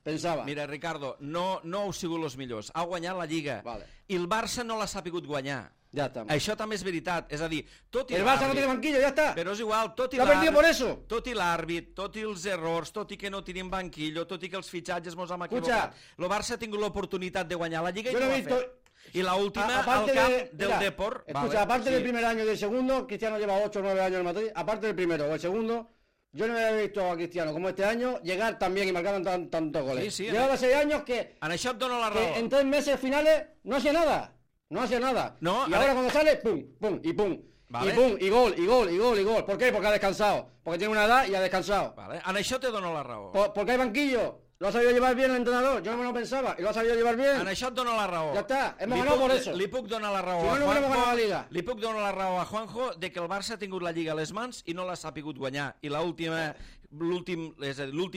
Pensava. Mira, Ricardo, no heu sigut els millors. Ha guanyat la Lliga. Vale. I el Barça no l'ha sapigut guanyar. Ya está. Això també és veritat. És a dir, tot i el Barça no tiene banquillo, ya está. Però és igual, tot i l'àrbit, por eso. Tot i l'àrbit, tot i els errors, tot i que no tenim banquillo, tot i que els fitxatges mos hem equivocat. El Barça ha tingut l'oportunitat de guanyar la Lliga i no ho ha fet. Y la última al camp del Depor. Escucha, aparte del primer año y del segundo, Cristiano lleva 8 o 9 años en Madrid. Aparte del primero o el segundo, yo no había visto a Cristiano como este año llegar también y marcar tantos goles. Llevaba 6 años que en 3 meses finales no hacía nada. No hacía nada. No, y ahora cuando sale, pum, pum y pum. Vale. Y pum, y gol, y gol, y gol, y gol. ¿Por qué? Porque ha descansado. Porque tiene una edad y ha descansado. Vale. En això te dono la raó. Porque hay banquillo. Lo ha sabido llevar bien el entrenador. Yo no me lo pensaba. Y lo ha sabido llevar bien. En això et dono la raó. Ya está. Hemos ganado por eso. Li puc donar la raó a Juanjo. Li puc donar la raó a Juanjo de que el Barça ha tingut la Lliga a les mans i no l'ha sapigut guanyar. I l'últim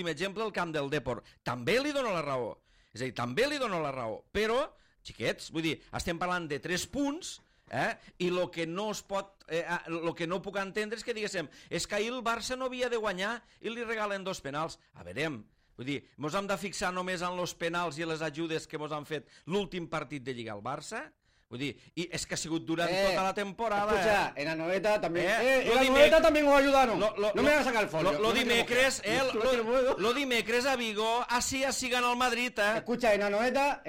exemple, el camp del Depor. També li dono la raó. És a dir, també li dono la raó. Però, xiquets, vull dir, estem parlant de 3 punts, i el que no es pot, el que no puc entendre és que diguéssim, és que ahir el Barça no havia de guanyar i li regalen 2 penals. A veurem, vull dir, mos hem de fixar només en els penals i les ajudes que mos han fet l'últim partit de Lliga al Barça? Vull dir, y es que ha sigut durant tota la temporada. Escucha, en la noveta también. En la noveta también os ayudaron. No me van a sacar el folio. Lo dimecres a Vigo, así gana el Madrid. Escucha, en la noveta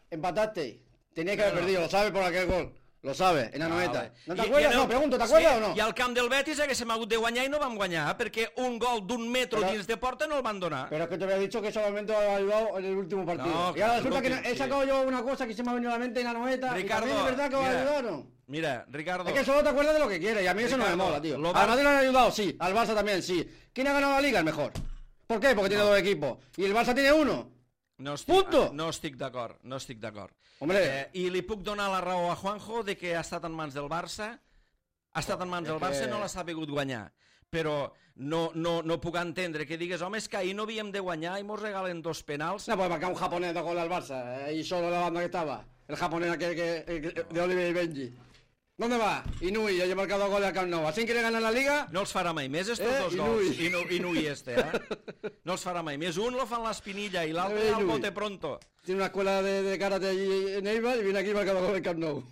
empataste. Tenías que haber perdido, lo sabes por aquel gol. Lo sabes, en la noveta. ¿No te acuerdas? No, pregunto, ¿te acuerdas o no? I al camp del Betis haguéssim hagut de guanyar i no vam guanyar, perquè un gol d'un metro dins de porta no el van donar. Pero es que te había dicho que solamente ha ayudado en el último partido. No, y ahora resulta que he sacado yo una cosa que se me ha venido a la mente en la noveta. Ricardo, y también es verdad que os ayudaron. Mira, Ricardo. Es que solo te acuerdas de lo que quieres y a mí eso no me mola, tío. Al Madrid lo han ayudado, sí. Al Barça también, sí. ¿Quién ha ganado la Liga? El mejor. ¿Por qué? Porque tiene 2 equipos. ¿Y el Barça tiene 1? No estic d'acord. Hombre. I li puc donar la raó a Juanjo de que ha estat en mans del Barça, i no l'ha sabut guanyar. Però no puc entendre que digues, home, és que ahir no havíem de guanyar i mos regalen 2 penals. No, pues marcar un japonés de gol al Barça, y solo la banda que estaba. El japonés aquel de Oliver y Benji. ¿Dónde va? Inui, ya ha marcado gol al Camp Nou. ¿Así quiere ganar la Liga? No els farà mai més, estos dos gols. Inui No els farà mai més. Un lo fan l'Espinilla i l'altre al bote pronto. Tiene una escuela de karate allí en Eibar y viene aquí y marca gol al Camp Nou.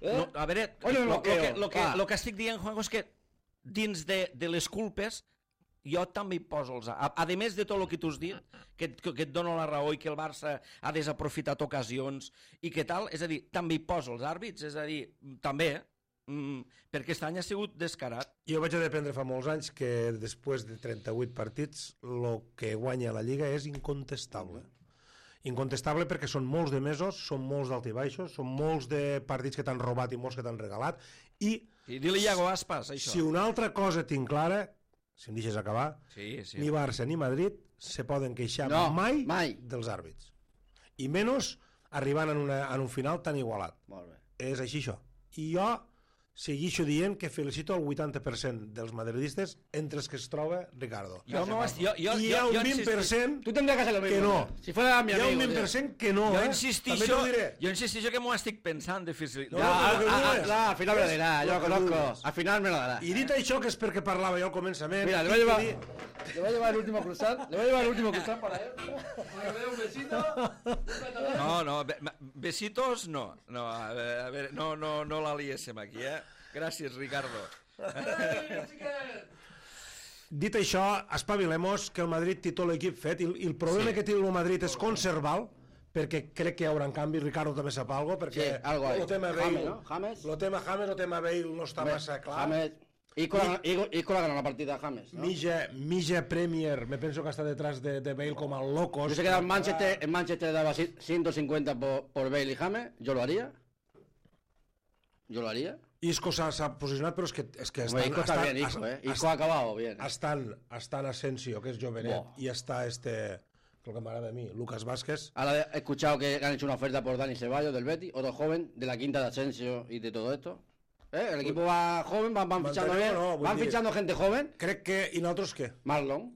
No, a veure, el que estic dient, Juanjo, és que dins de les culpes jo també hi poso els... A més de tot el que tu has dit, que et dono la raó i que el Barça ha desaprofitat ocasions i que tal, és a dir, també hi poso els àrbits, és a dir, també, perquè aquest any ha sigut descarat. Jo vaig a dependre fa molts anys que després de 38 partits el que guanya la Lliga és incontestable. Incontestable perquè són molts de mesos, són molts d'altibaixos, són molts de partits que t'han robat i molts que t'han regalat i di-li Iago Aspas, això. Si una altra cosa tinc clara, si em deixes acabar, ni Barça ni Madrid se poden queixar mai dels àrbits. I menys arribant en un final tan igualat. Molt bé. És així això. I jo segueixo dient que felicito el 80% dels madridistes entre els que es troba Ricardo. I hi ha un 20% tu tendrías que hacer lo mismo, que no. Si fuera mi amigo, hi ha un 20% que no. Jo insistixo que m'ho estic pensant difícil. Al final me lo dirá, yo lo conozco. Al final me lo dará. I dit això, que és perquè parlava jo al començament... Mira, le voy a llevar el último cruzat. Le voy a llevar el último cruzat para él. Para que me dé un besito. No, besitos no. No, a ver, no la liéssim aquí, Gràcies, Ricardo. Dit això, espavilemos que el Madrid té tot l'equip fet i el problema que té el Madrid és conservar-lo, perquè crec que hi haurà canvi. Ricardo també sap alguna cosa, perquè el tema Bale, el tema Bale no està massa clar. Isco la ganó la partida a James, ¿no? Milla Premier, me penso que está detrás de Bale como al locos. Yo sé que en Manchester le daba 150 por Bale y James, yo lo haría. Isco s'ha posicionat, però és que Isco está bien, Isco ha acabado bien. Estan Asensio, que es jovenet, y está lo que m'agrada a mí, Lucas Vázquez. Ahora he escuchado que han hecho una oferta por Dani Ceballos del Betis, otro joven de la quinta de Asensio y de todo esto. El equipo va joven, van fichando bien, van fichando gente joven. Crec que... I nosaltres què? Marlon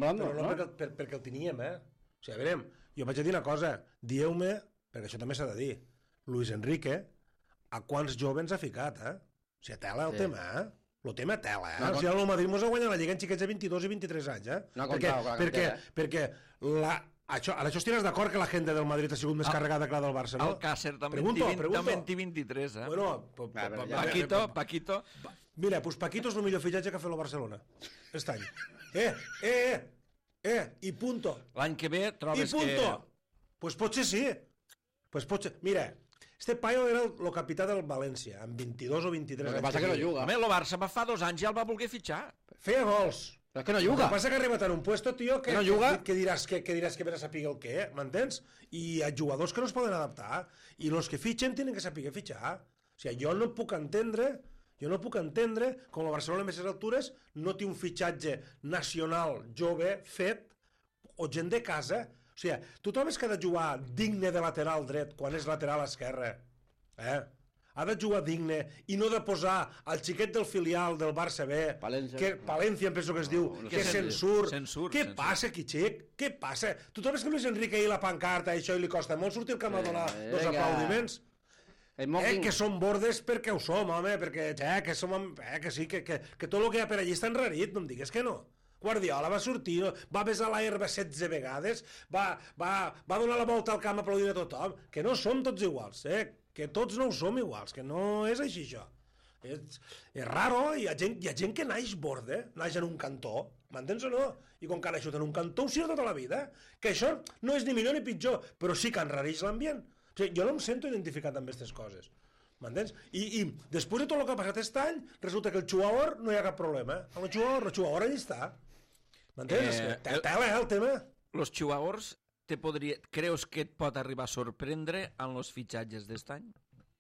Brando, però no? Perquè el teníem, O sigui, a veure, jo vaig a dir una cosa, dieu-me, perquè això també s'ha de dir, Luis Enrique, a quants joves ha ficat, O sigui, tela el tema, El tema tela, O sigui, el Madrid mos ha guanyat la Lliga en xiquets de 22 i 23 anys, No ha comptat, perquè això estiràs d'acord que la gent del Madrid ha sigut més carregada que la del Barça, no? El Càcer també en 23, Bueno, Paquito. Mira, pues Paquito és el millor fitxatge que ha fet el Barcelona aquest any. I punto. L'any que ve trobes que... I punto. Pues potser sí. Mira, este paio era el capità del València, amb 22 o 23 anys. El que passa que no juga. Home, el Barça fa 2 anys ja el va voler fitxar. Feia gols. Però és que no juga. El que passa que ha arribat en un puesto, tio, que diràs que vés a saber el què, m'entens? I hi ha jugadors que no es poden adaptar, i els que fitxen tenen que saber fitxar. O sigui, jo no puc entendre com el Barcelona a aquestes altures no té un fitxatge nacional jove fet, o gent de casa. O sigui, tu trobes que ha de jugar digne de lateral dret quan és lateral esquerre, ha de jugar digne i no de posar al xiquet del filial del Barça B, Palencia em penso que es diu, que se'n surt. Què passa aquí, xic? Què passa? Tu trobes que Luis Enrique ahir la pancarta i això li costa molt sortir al camp a donar dos aplaudiments? Que som bordes perquè ho som, home, que sí, que tot el que hi ha per allí està enrarit, no em digues que no. Guardiola va sortir, va besar la herba 16 vegades, va donar la volta al camp aplaudint a tothom, que no som tots iguals, que tots no ho som iguals, que no és així això. És raro, hi ha gent que naix borde, naix en un cantó, m'entens o no? I com que ha naixut en un cantó ho sirve tota la vida, que això no és ni millor ni pitjor, però sí que enrareix l'ambient. O sigui, jo no em sento identificat amb aquestes coses, m'entens? I després de tot el que ha passat aquest any, resulta que el xuaor no hi ha cap problema, el xuaor allà està. M'entens? Tela, el tema. Los xuaors, creus que et pot arribar a sorprendre en els fitxatges d'est any?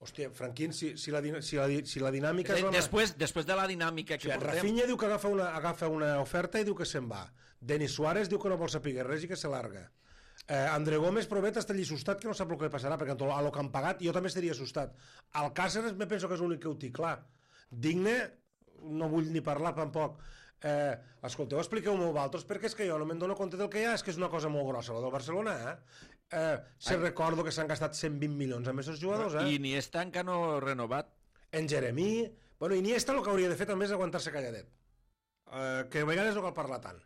Hòstia, Franquín, si la dinàmica... Després de la dinàmica que portem... Rafinha diu que agafa una oferta i diu que se'n va. Denis Suárez diu que no vol saber res i que se larga. André Gómez Provet està allí assustat, que no sap el que passarà, perquè a lo que han pagat jo també estaria assustat. Alcácer me penso que és l'únic que ho té clar. Digne, no vull ni parlar tampoc. Escolteu, expliqueu-m'ho vosaltres, perquè és que jo no me'n dono compte del que hi ha, és que és una cosa molt grossa, la del Barcelona, Se recordo que s'han gastat 120 milions amb aquests jugadors, I Iniesta encara no ha renovat. En Jeremí... Bueno, Iniesta el que hauria de fer també és aguantar-se calladet. Que a vegades no cal parlar tant.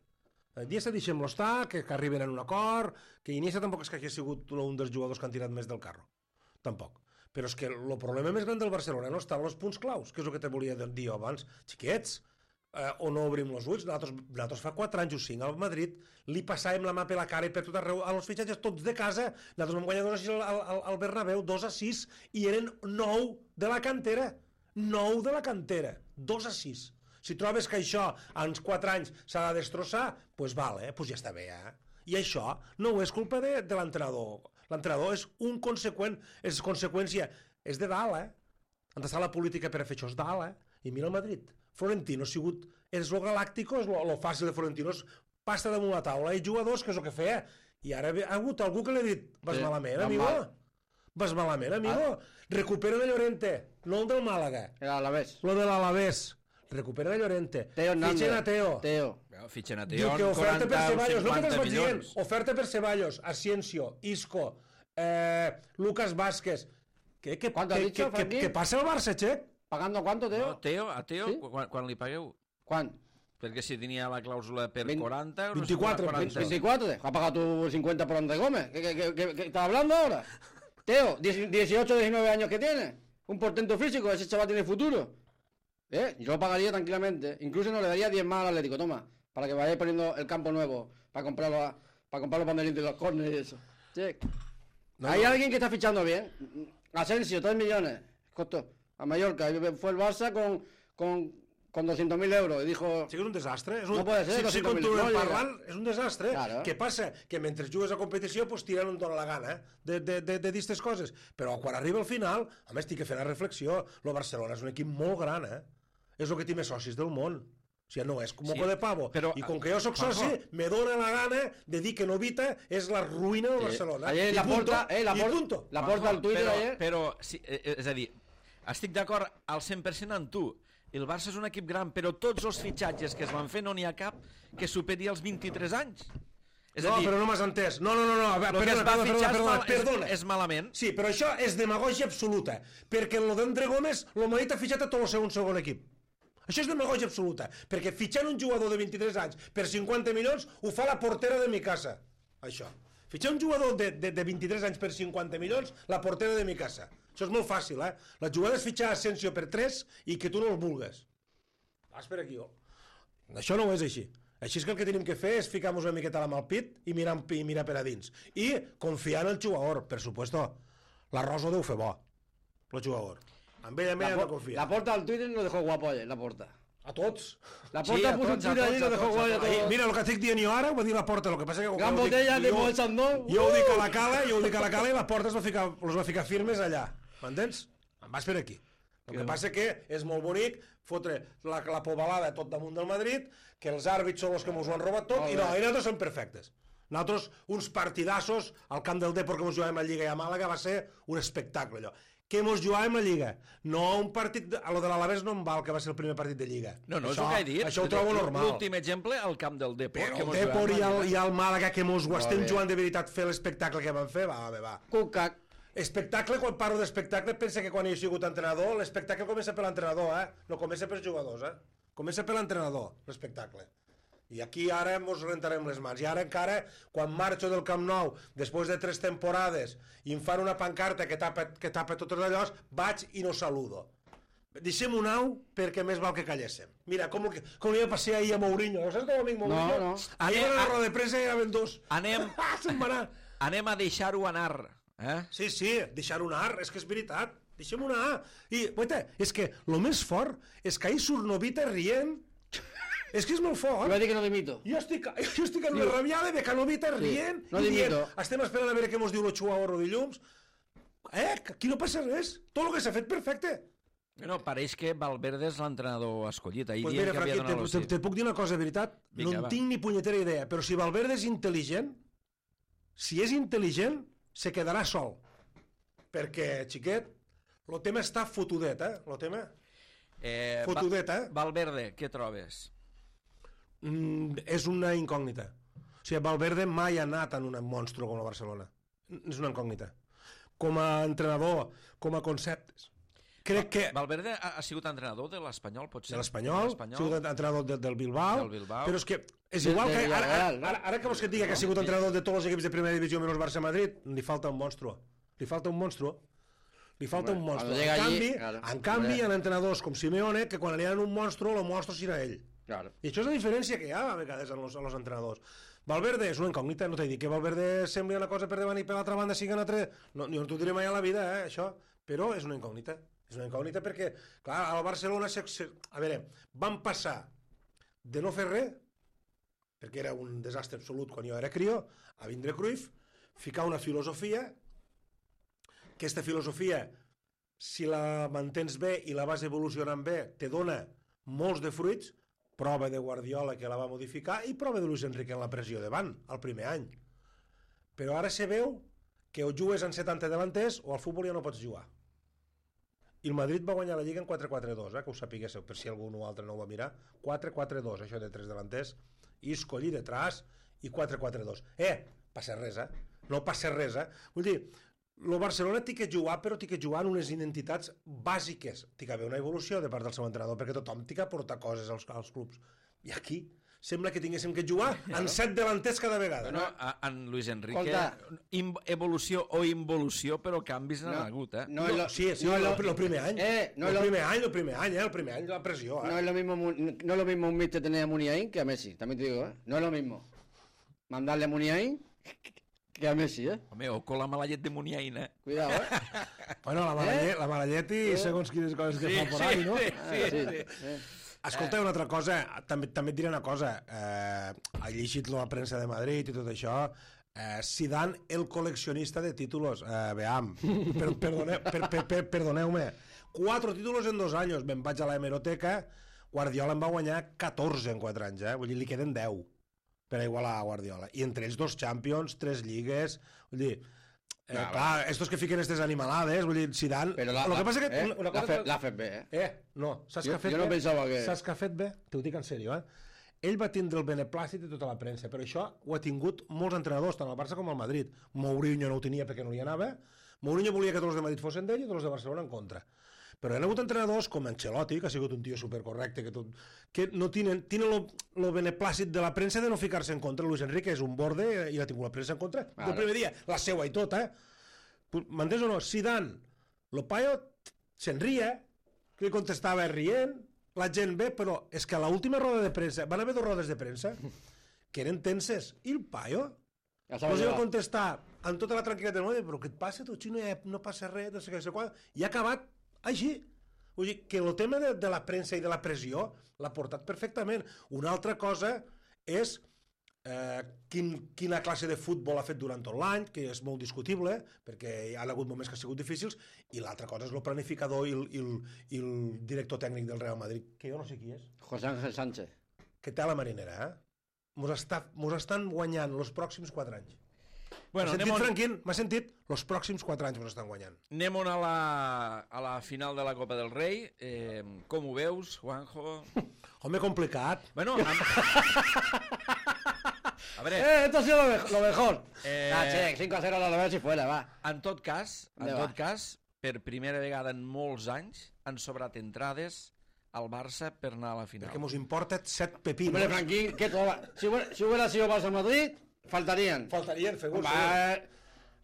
Iniesta deixem-lo estar, que arriben a un acord, que Iniesta tampoc és que hagi sigut un dels jugadors que han tirat més del carro. Tampoc. Però és que el problema més gran del Barcelona no està en els punts claus, que és el que te volia dir abans. Xiquets, o no obrim els ulls, nosaltres fa 4 anys o 5 al Madrid li passàvem la mà per la cara i per tot arreu, als fitxatges tots de casa, nosaltres vam guanyar 2-6 al Bernabéu, 2-6, i eren 9 de la cantera, 9 de la cantera, 2-6. Si trobes que això en 4 anys s'ha de destrossar, doncs val, doncs ja està bé, I això no és culpa de l'entrenador. L'entrenador és un conseqüent, és conseqüència, és de dalt, Han d'estar la política per a fer això, és dalt, I mira el Madrid. Florentino ha sigut, és lo galàctico, és lo fàcil de Florentino, és pasta damunt la taula, i jugadors, que és el que feia, i ara ha hagut algú que li ha dit, vas malament, amigo, vas malament, amigo, recupera de Llorente, no el del Màlaga, lo de l'Alavés, recupera de Llorente, fitxen a Teo, Fitxen a diu Teo, que oferta per 40 o Ceballos, no que 50 te'ls vaig dient, milions. oferta per Ceballos, Asensio, Isco, Lucas Vázquez, ¿Cuánto ha dicho, Frankie? que passa el Barça, Che? ¿Pagando cuánto, Teo? No, a Teo, Sí? quan li pagueu? ¿Cuán? Perquè si tenia la clàusula per 20, 40 euros... 24, 24, ¿has pagado tú 50 por André Gómez? ¿Qué estás hablando ahora? Teo, 18, 19 años que tiene. Un portento físico, ese chaval tiene futuro. Yo lo pagaría tranquilamente. Incluso no le daría 10 más al Atlético, toma, para que vayáis poniendo el campo nuevo, para comprar los banderines de los córneres y eso. Che. Hay alguien que está fichando bien. Asensio, 3 millones. Costó a Mallorca. Fue el Barça con 200.000 euros y dijo... Sí que és un desastre. No puede ser, Si 200.000 continuem no llega. parlant, és un desastre. Claro. Què passa? Que mentre jugues a competició, pues, tiren on dona la gana de dir aquestes coses. Però quan arriba al final, a més, tinc que fer la reflexió. El Barcelona és un equip molt gran, És el que té més socis del món. O sigui, no és com moco de pavo. Però, I com que jo sóc soci, me dóna la gana de dir que Novita és la ruïna del Barcelona. Ayer I punto. la porta al Twitter ayer... Però, sí, és a dir, estic d'acord al 100% amb tu. El Barça és un equip gran, però tots els fitxatges que es van fer no n'hi ha cap que superi els 23 anys. És a dir, però no m'has entès. No. el que es va fitxar perdona. és malament. Sí, però això és demagògia absoluta, perquè en lo d'André Gómez, el Madrid ha fitxat a tot el seu segon equip. Això és demagògia absoluta, perquè fitxant un jugador de 23 anys per 50 milions ho fa la portera de mi casa. Això. Fitxar un jugador de 23 anys per 50 milions, la portera de mi casa. Això és molt fàcil, La jugada és fitxar Asensio per 3 i que tu no el vulgues. Vas per aquí, Això no és així. Així és que el que tenim que fer és ficar-nos una miqueta la mà al pit i mirar per a dins. I confiar en el jugador, per supuesto. La Rosa ho deu fer bo, el jugador. Amb ell hem de confiar. La porta al Twitter lo dejó guapo ayer, la porta. A tots. La porta puso un Twitter ayer y lo dejó guapo a todos. Mira, el que estic dient jo ara, ho va dir la porta, el que passa que... Gran botella de Moët Chandon. Jo ho dic a la cala, i la porta els va ficar firmes allà. M'entens? Em vas per aquí. El que passa que és molt bonic fotre la pobalada tot damunt del Madrid, que els àrbits són els que ens ho han robat tot, i nosaltres som perfectes. Nosaltres, uns partidassos al camp del Depor que ens jugàvem a Lliga i a Màlaga, va ser un espectacle, allò. Que ens jugàvem a Lliga. No un partit... A lo de l'Alavés no em val, que va ser el primer partit de Lliga. No, és el que he dit. Això ho trobo normal. L'últim exemple, al camp del Depor. Però el Depor i el Màlaga, que ens ho estem jugant de veritat, fer l'espectacle que van fer, va. Cucac. Espectacle, quan parlo d'espectacle, pensa que quan he sigut entrenador, l'espectacle comença per l'entrenador, no comença pels jugadors, Comença per l'entrenador, l'espectacle. I aquí ara ens rentarem les mans. I ara encara, quan marxo del Camp Nou, després de 3 temporades, i em fan una pancarta que tapa tots allò, vaig i no saludo. Deixem un au perquè més val que calléssim. Mira, com li va passar ahir a Mourinho. No saps com amic Mourinho? No. Ahir a la roda de premsa hi anaven dos. Anem a deixar-ho anar. Sí, deixar-ho anar, és que és veritat. Deixem-ho anar. I, guaita, és que el més fort és que ahir surt Novita rient. És que és molt fort. Jo vaig dir que no dimito. Jo estic en una rabiada de que Novita rient no i dimito. dient, estem esperant a veure què mos diu el Chuaorro dilluns. Aquí no passa res. Tot el que s'ha fet perfecte. No, pareix que Valverde és l'entrenador escollit. Ahir Pues dient mira, que havia Franqui, donat el sí. te puc dir una cosa de veritat? Vinga, No en va. tinc ni punyetera idea, però si Valverde és intel·ligent, si és intel·ligent, se quedarà sol. Perquè, xiquet, el tema està fotudet, el tema... Fotudet, Valverde, què trobes? És una incògnita. O sigui, Valverde mai ha anat en un monstru com la Barcelona. és una incògnita. Com a entrenador, com a conceptes. Crec que... Valverde ha sigut entrenador de l'Espanyol, potser? De l'Espanyol, ha sigut entrenador del Bilbao, però és que és igual que... Ara que vols que et digui que ha sigut entrenador de tots els equips de primera divisió menys Barça-Madrid, li falta un monstru. Li falta un monstru. En canvi, hi ha entrenadors com Simeone que quan li han un monstru, el monstru serà ell. I això és la diferència que hi ha a vegades en els entrenadors. Valverde és una incògnita, no t'he dit que Valverde sembli una cosa per davant i per l'altra banda sigui una altra... No, jo no t'ho diré mai a la vida, això, però és una incògnita. És una incògnita perquè, clar, al Barcelona... A veure, van passar de no fer res, perquè era un desastre absolut quan jo era crió, a vindre Cruyff, ficar una filosofia, aquesta filosofia, si la mantens bé i la vas evolucionant bé, te dona molts de fruits, prova de Guardiola que la va modificar i prova de Luis Enrique en la pressió davant, el primer any. Però ara se veu que o jugues en 70 delanters o al futbol ja no pots jugar. I el Madrid va guanyar la Lliga en 4-4-2, que ho sapiguéssiu, per si algú altre no ho va mirar. 4-4-2, això de 3 delanters, Isco allí detrás i 4-4-2. Passa res, no passa res, Vull dir, el Barcelona té que jugar, però té que jugar en unes identitats bàsiques. Té que haver una evolució de part del seu entrenador, perquè tothom té que aportar coses als clubs. I aquí sembla que tinguéssim que jugar en 7 delanters cada vegada. Bueno, en Luis Enrique, evolució o involució, però canvis n'han hagut, Sí, el primer any. El primer any, la pressió. No es lo mismo un míster tener a Muniain que a Messi, también te digo, No es lo mismo mandarle a Muniain que a Messi, Home, o con la mala llet de Muniain, Cuidado, Bueno, la mala llet i segons quines coses que fa por ahí, no? Sí. Escolta, una altra cosa, també et diré una cosa, he llegit la premsa de Madrid i tot això, Zidane, el col·leccionista de títulos, veam, perdoneu-me, 4 títulos en 2 anys, me'n vaig a la hemeroteca, Guardiola en va guanyar 14 en 4 anys, vull dir, li queden 10 per a igualar a Guardiola, i entre ells 2 Champions, 3 lligues, vull dir, clar, estos que fiquen aquestes animalades, vull dir, Zidane... Però l'ha fet bé, No, saps què ha fet bé? Jo no pensava que... Saps què ha fet bé? T'ho dic en sèrio, Ell va tindre el beneplàcit de tota la premsa, però això ho ha tingut molts entrenadors, tant al Barça com al Madrid. Mourinho no ho tenia perquè no li anava, Mourinho volia que tots els de Madrid fossin d'ell i tots els de Barcelona en contra. Però hi ha hagut entrenadors com Ancelotti, que ha sigut un tio supercorrecte, que no tenen el beneplàcit de la premsa de no ficar-se en contra. Luis Enrique és un borde i l'ha tingut la premsa en contra del primer dia, la seua i tot, M'entens o no? Zidane, el paio se'n ria, que li contestava rient, la gent bé, però és que a l'última roda de premsa, van haver 2 rodes de premsa, que eren tenses, i el paio no va contestar amb tota la tranquil·litat del món, però què et passa, tu, xino, no passa res, no sé què, i ha acabat així. Vull dir, que el tema de la premsa i de la pressió l'ha portat perfectament. Una altra cosa és quina classe de futbol ha fet durant tot l'any, que és molt discutible, perquè hi ha hagut moments que han sigut difícils, i l'altra cosa és el planificador i el director tècnic del Real Madrid, que jo no sé qui és. José Ángel Sánchez. Que té a la marinera, Mos estan guanyant els pròxims 4 anys. Bueno, Franquín, m'ha sentit? Els pròxims 4 anys mos estan guanyant. Anem a la final de la Copa del Rei. Com ho veus, Juanjo? Home, complicat. Bueno, a ver, esto ha sido lo mejor. 5-0 a l'Alavés i fuera, va. En tot cas, per primera vegada en molts anys han sobrat entrades al Barça per anar a la final. Perquè mos importa 7 pepinos. Hombre, Franquín, si hubiera sido Barça-Madrid, faltarían, seguro.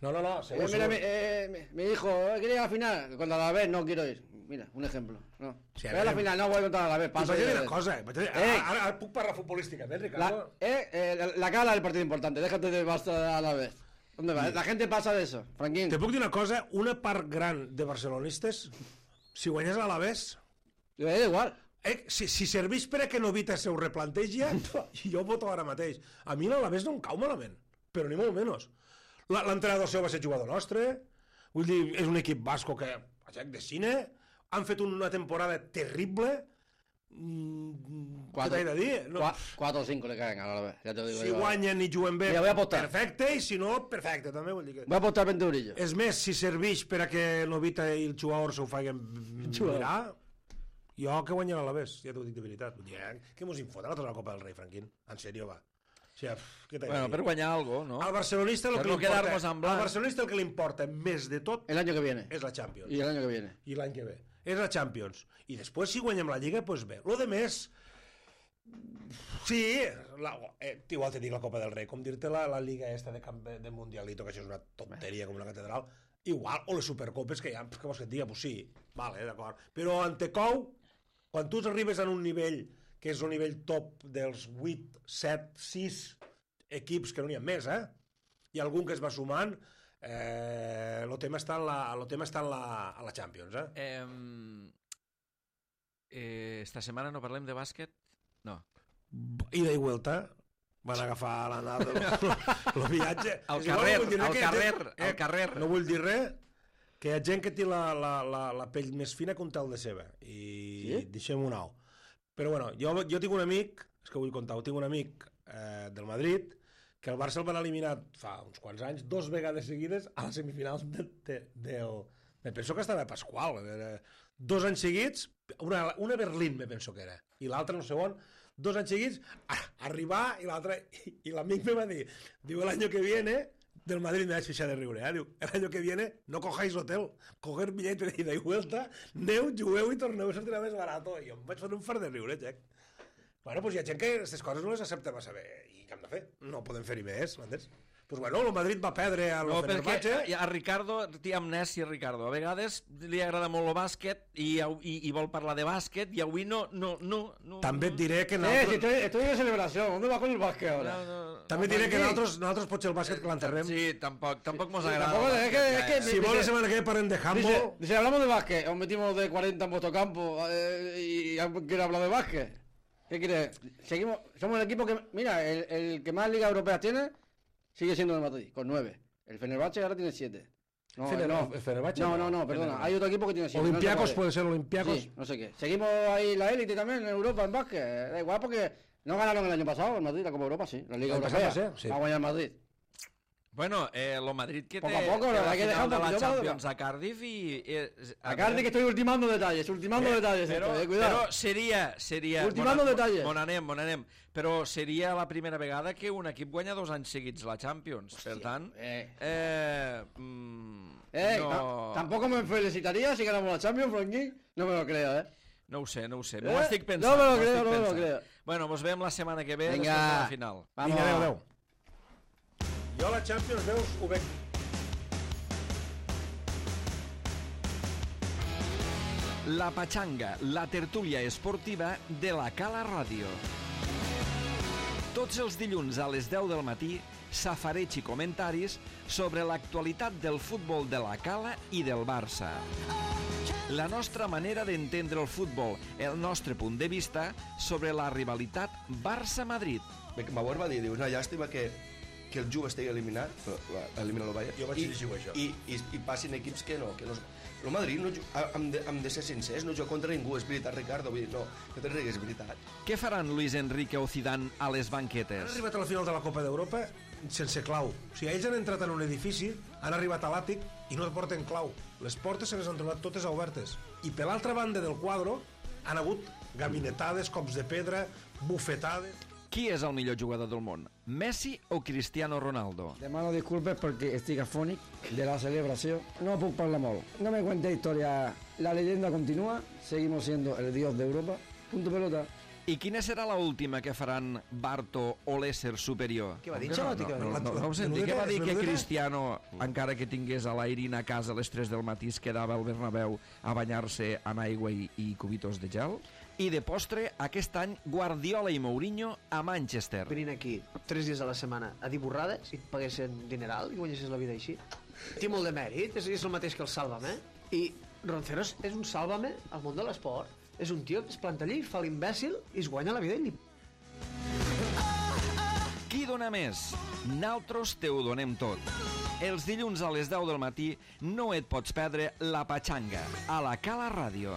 No, seguro. Mira, mi hijo quiere ir a la final, contra la vez no quiero ir. Mira, un ejemplo. No. Sí, a la final, no voy contra la vez. Vaig a dir una cosa. Ara puc parlar futbolística, Ricardo? La cara del partido importante, déjate de Barça a la vez. ¿Dónde va? La gente pasa de eso, Franquín. Te puc dir una cosa, una part gran de barcelonistes, si guanyés a l'Alavés... igual. Si serveix per a que Novita se ho replantegi, jo voto ara mateix. A mi l'Alavés no em cau malament, però ni molt menys. L'entrenador seu va ser jugador nostre, vull dir, és un equip basco que de cine, han fet una temporada terrible. Què t'he de dir? 4 o 5 le caen a l'Alavés, ja te digo. Si guanyen i juguen bé, perfecte, i si no, perfecte, també vull dir que... Voy a apostar 20 eurillos. És més, si serveix per a que Novita i el jugador s'ho facin mirar, jo que guanyen a l'Alavés, ja t'ho dic de veritat. Vull dir, que mos infoten a tota la Copa del Rei, Franquín. En sèrio, va. O sigui, què t'he de Bueno, dir? per guanyar alguna cosa, no? Al barcelonista Per no quedar-nos en blanc. al barcelonista el que li importa més de tot El año que viene. és la Champions. Y el año que viene. I l'any que ve. És la Champions. I després, si guanyem la Lliga, doncs bé. Lo de més... Sí, igual te dic la Copa del Rei, com dir-te la Lliga esta de Mundialito, que això és una tonteria com una catedral, igual, o les Supercopes, que ja, què vols que et diga? Pues sí, vale, d'acord. Però Antecou, quan tu arribes a un nivell, que és el nivell top dels 8, 7, 6 equips, que no n'hi ha més, i algun que es va sumant, el tema està a la Champions, Esta setmana no parlem de bàsquet? No. Ida i vuelta van agafar el viatge. Al És igual, carrer. No vull dir res, que hi ha gent que té la pell més fina que un tel de ceba. I deixem-ho anar. Però bueno, jo tinc un amic, és que vull contar, tinc un amic del Madrid, que el Barça el van eliminar fa uns quants anys, 2 vegades seguides a les semifinals del... Me penso que estava a Pasqual. 2 anys seguits, una Berlín, me penso que era, i l'altra no sé on, 2 anys seguits, arribar, i l'amic me va dir, diu, el año que viene, del Madrid me vaig fixar de riure, diu, el año que viene no cojáis hotel, coger billete de ida y vuelta, aneu, jugueu i torneu, sortirà més barat, i jo em vaig fer un fart de riure, Jack. Bueno, doncs hi ha gent que aquestes coses no les accepta massa bé, i què hem de fer? No podem fer-hi més, m'entens? Pues bueno, el Madrid va perdre a No, Fenerbahce. perquè a Ricardo, té amnèsia, Ricardo. A vegades li agrada molt el bàsquet i vol parlar de bàsquet i avui no. També et diré que Si estoy de celebración, ¿dónde va con el básquet ahora? També et diré que nosaltres potser el bàsquet que l'enterrem. Sí, tampoc mos agrada. Tampoco, es que Si vol la setmana que ve parlem de handball... Dice, hablamos de básquet, os metimos de 40 en vuestro campo y quiere hablar de básquet. ¿Qué quiere? Seguimos, somos el equipo que, mira, el que más ligas europeas tiene sigue siendo el Madrid, con 9. El Fenerbahce ahora tiene 7. No, ¿El Fenerbahce? No, perdona, hay otro equipo que tiene 7. Olympiacos, no sé puede ser Olympiacos. Sí, no sé qué. Seguimos ahí la élite también en Europa en básquet. Da igual porque no ganaron el año pasado el Madrid, la Copa Europa, sí. La Liga Europea. Sí. Va a ganar el Madrid. Bueno, lo Madrid que Poco a té poco, la hay que final dejar de un la poquito Champions a Cardiff i... A Cardiff que estoy ultimando detalles, Però, cuidado. però seria... Ultimando detalles. Bon anem. Però seria la primera vegada que un equip guanya 2 anys seguits la Champions. Per tant... Tampoco me felicitaría si ganamos la Champions, Frankie. No me lo creo, No ho sé. M'ho estic pensant. No me lo creo. Bueno, mos veiem la setmana que ve Vinga. després de la final. Vamos. Vinga, adéu. Jo la Champions, veus, ho veig. La Pachanga, la tertúlia esportiva de la Cala Ràdio. Tots els dilluns a les 10 del matí, safareig i comentaris sobre l'actualitat del futbol de la Cala i del Barça. La nostra manera d'entendre el futbol, el nostre punt de vista sobre la rivalitat Barça-Madrid. Bauer va dir, diu, una llàstima que el Juve estigui eliminat, elimina el Bayern, Jo vaig dir això. i passin equips que no. El Madrid, hem de ser sincers, no juga contra ningú, és veritat, Ricardo, vull dir, no te rigues, és veritat. Què faran Luis Enrique o Zidane a les Han banquetes? arribat a la final de la Copa d'Europa sense clau. O sigui, ells han entrat en un edifici, han arribat a l'àtic i no porten clau. Les portes se les han trobat totes obertes. I per l'altra banda del quadre han hagut gabinetades, cops de pedra, bufetades... Qui és el millor jugador del món? Messi o Cristiano Ronaldo? Demano disculpes perquè estic afònic de la celebració. No puc parlar molt. No me cuente historia. La leyenda continúa. Seguimos siendo el dios de Europa. Punto pelota. I quina serà la última que faran Barto o l'ésser superior? Què va dir, Xalotti? No ho senti, què va dir que Cristiano, encara que tingués a l'Airin a casa a les 3 del matí, es quedava al Bernabéu a banyar-se en aigua i cubitos de gel? I de postre, aquest any, Guardiola i Mourinho a Manchester. Venint aquí 3 dies a la setmana a dir borrades i et paguessin dineral i guanyessis la vida així. Té molt de mèrit, és el mateix que el Sálvame. I Ronceros és un Sálvame al món de l'esport. És un tio que es planta allí, fa l'imbècil i es guanya la vida i li... Qui dona més? Naltros te ho donem tot. Els dilluns a les 10 del matí no et pots perdre La Pachanga a la Cala Ràdio.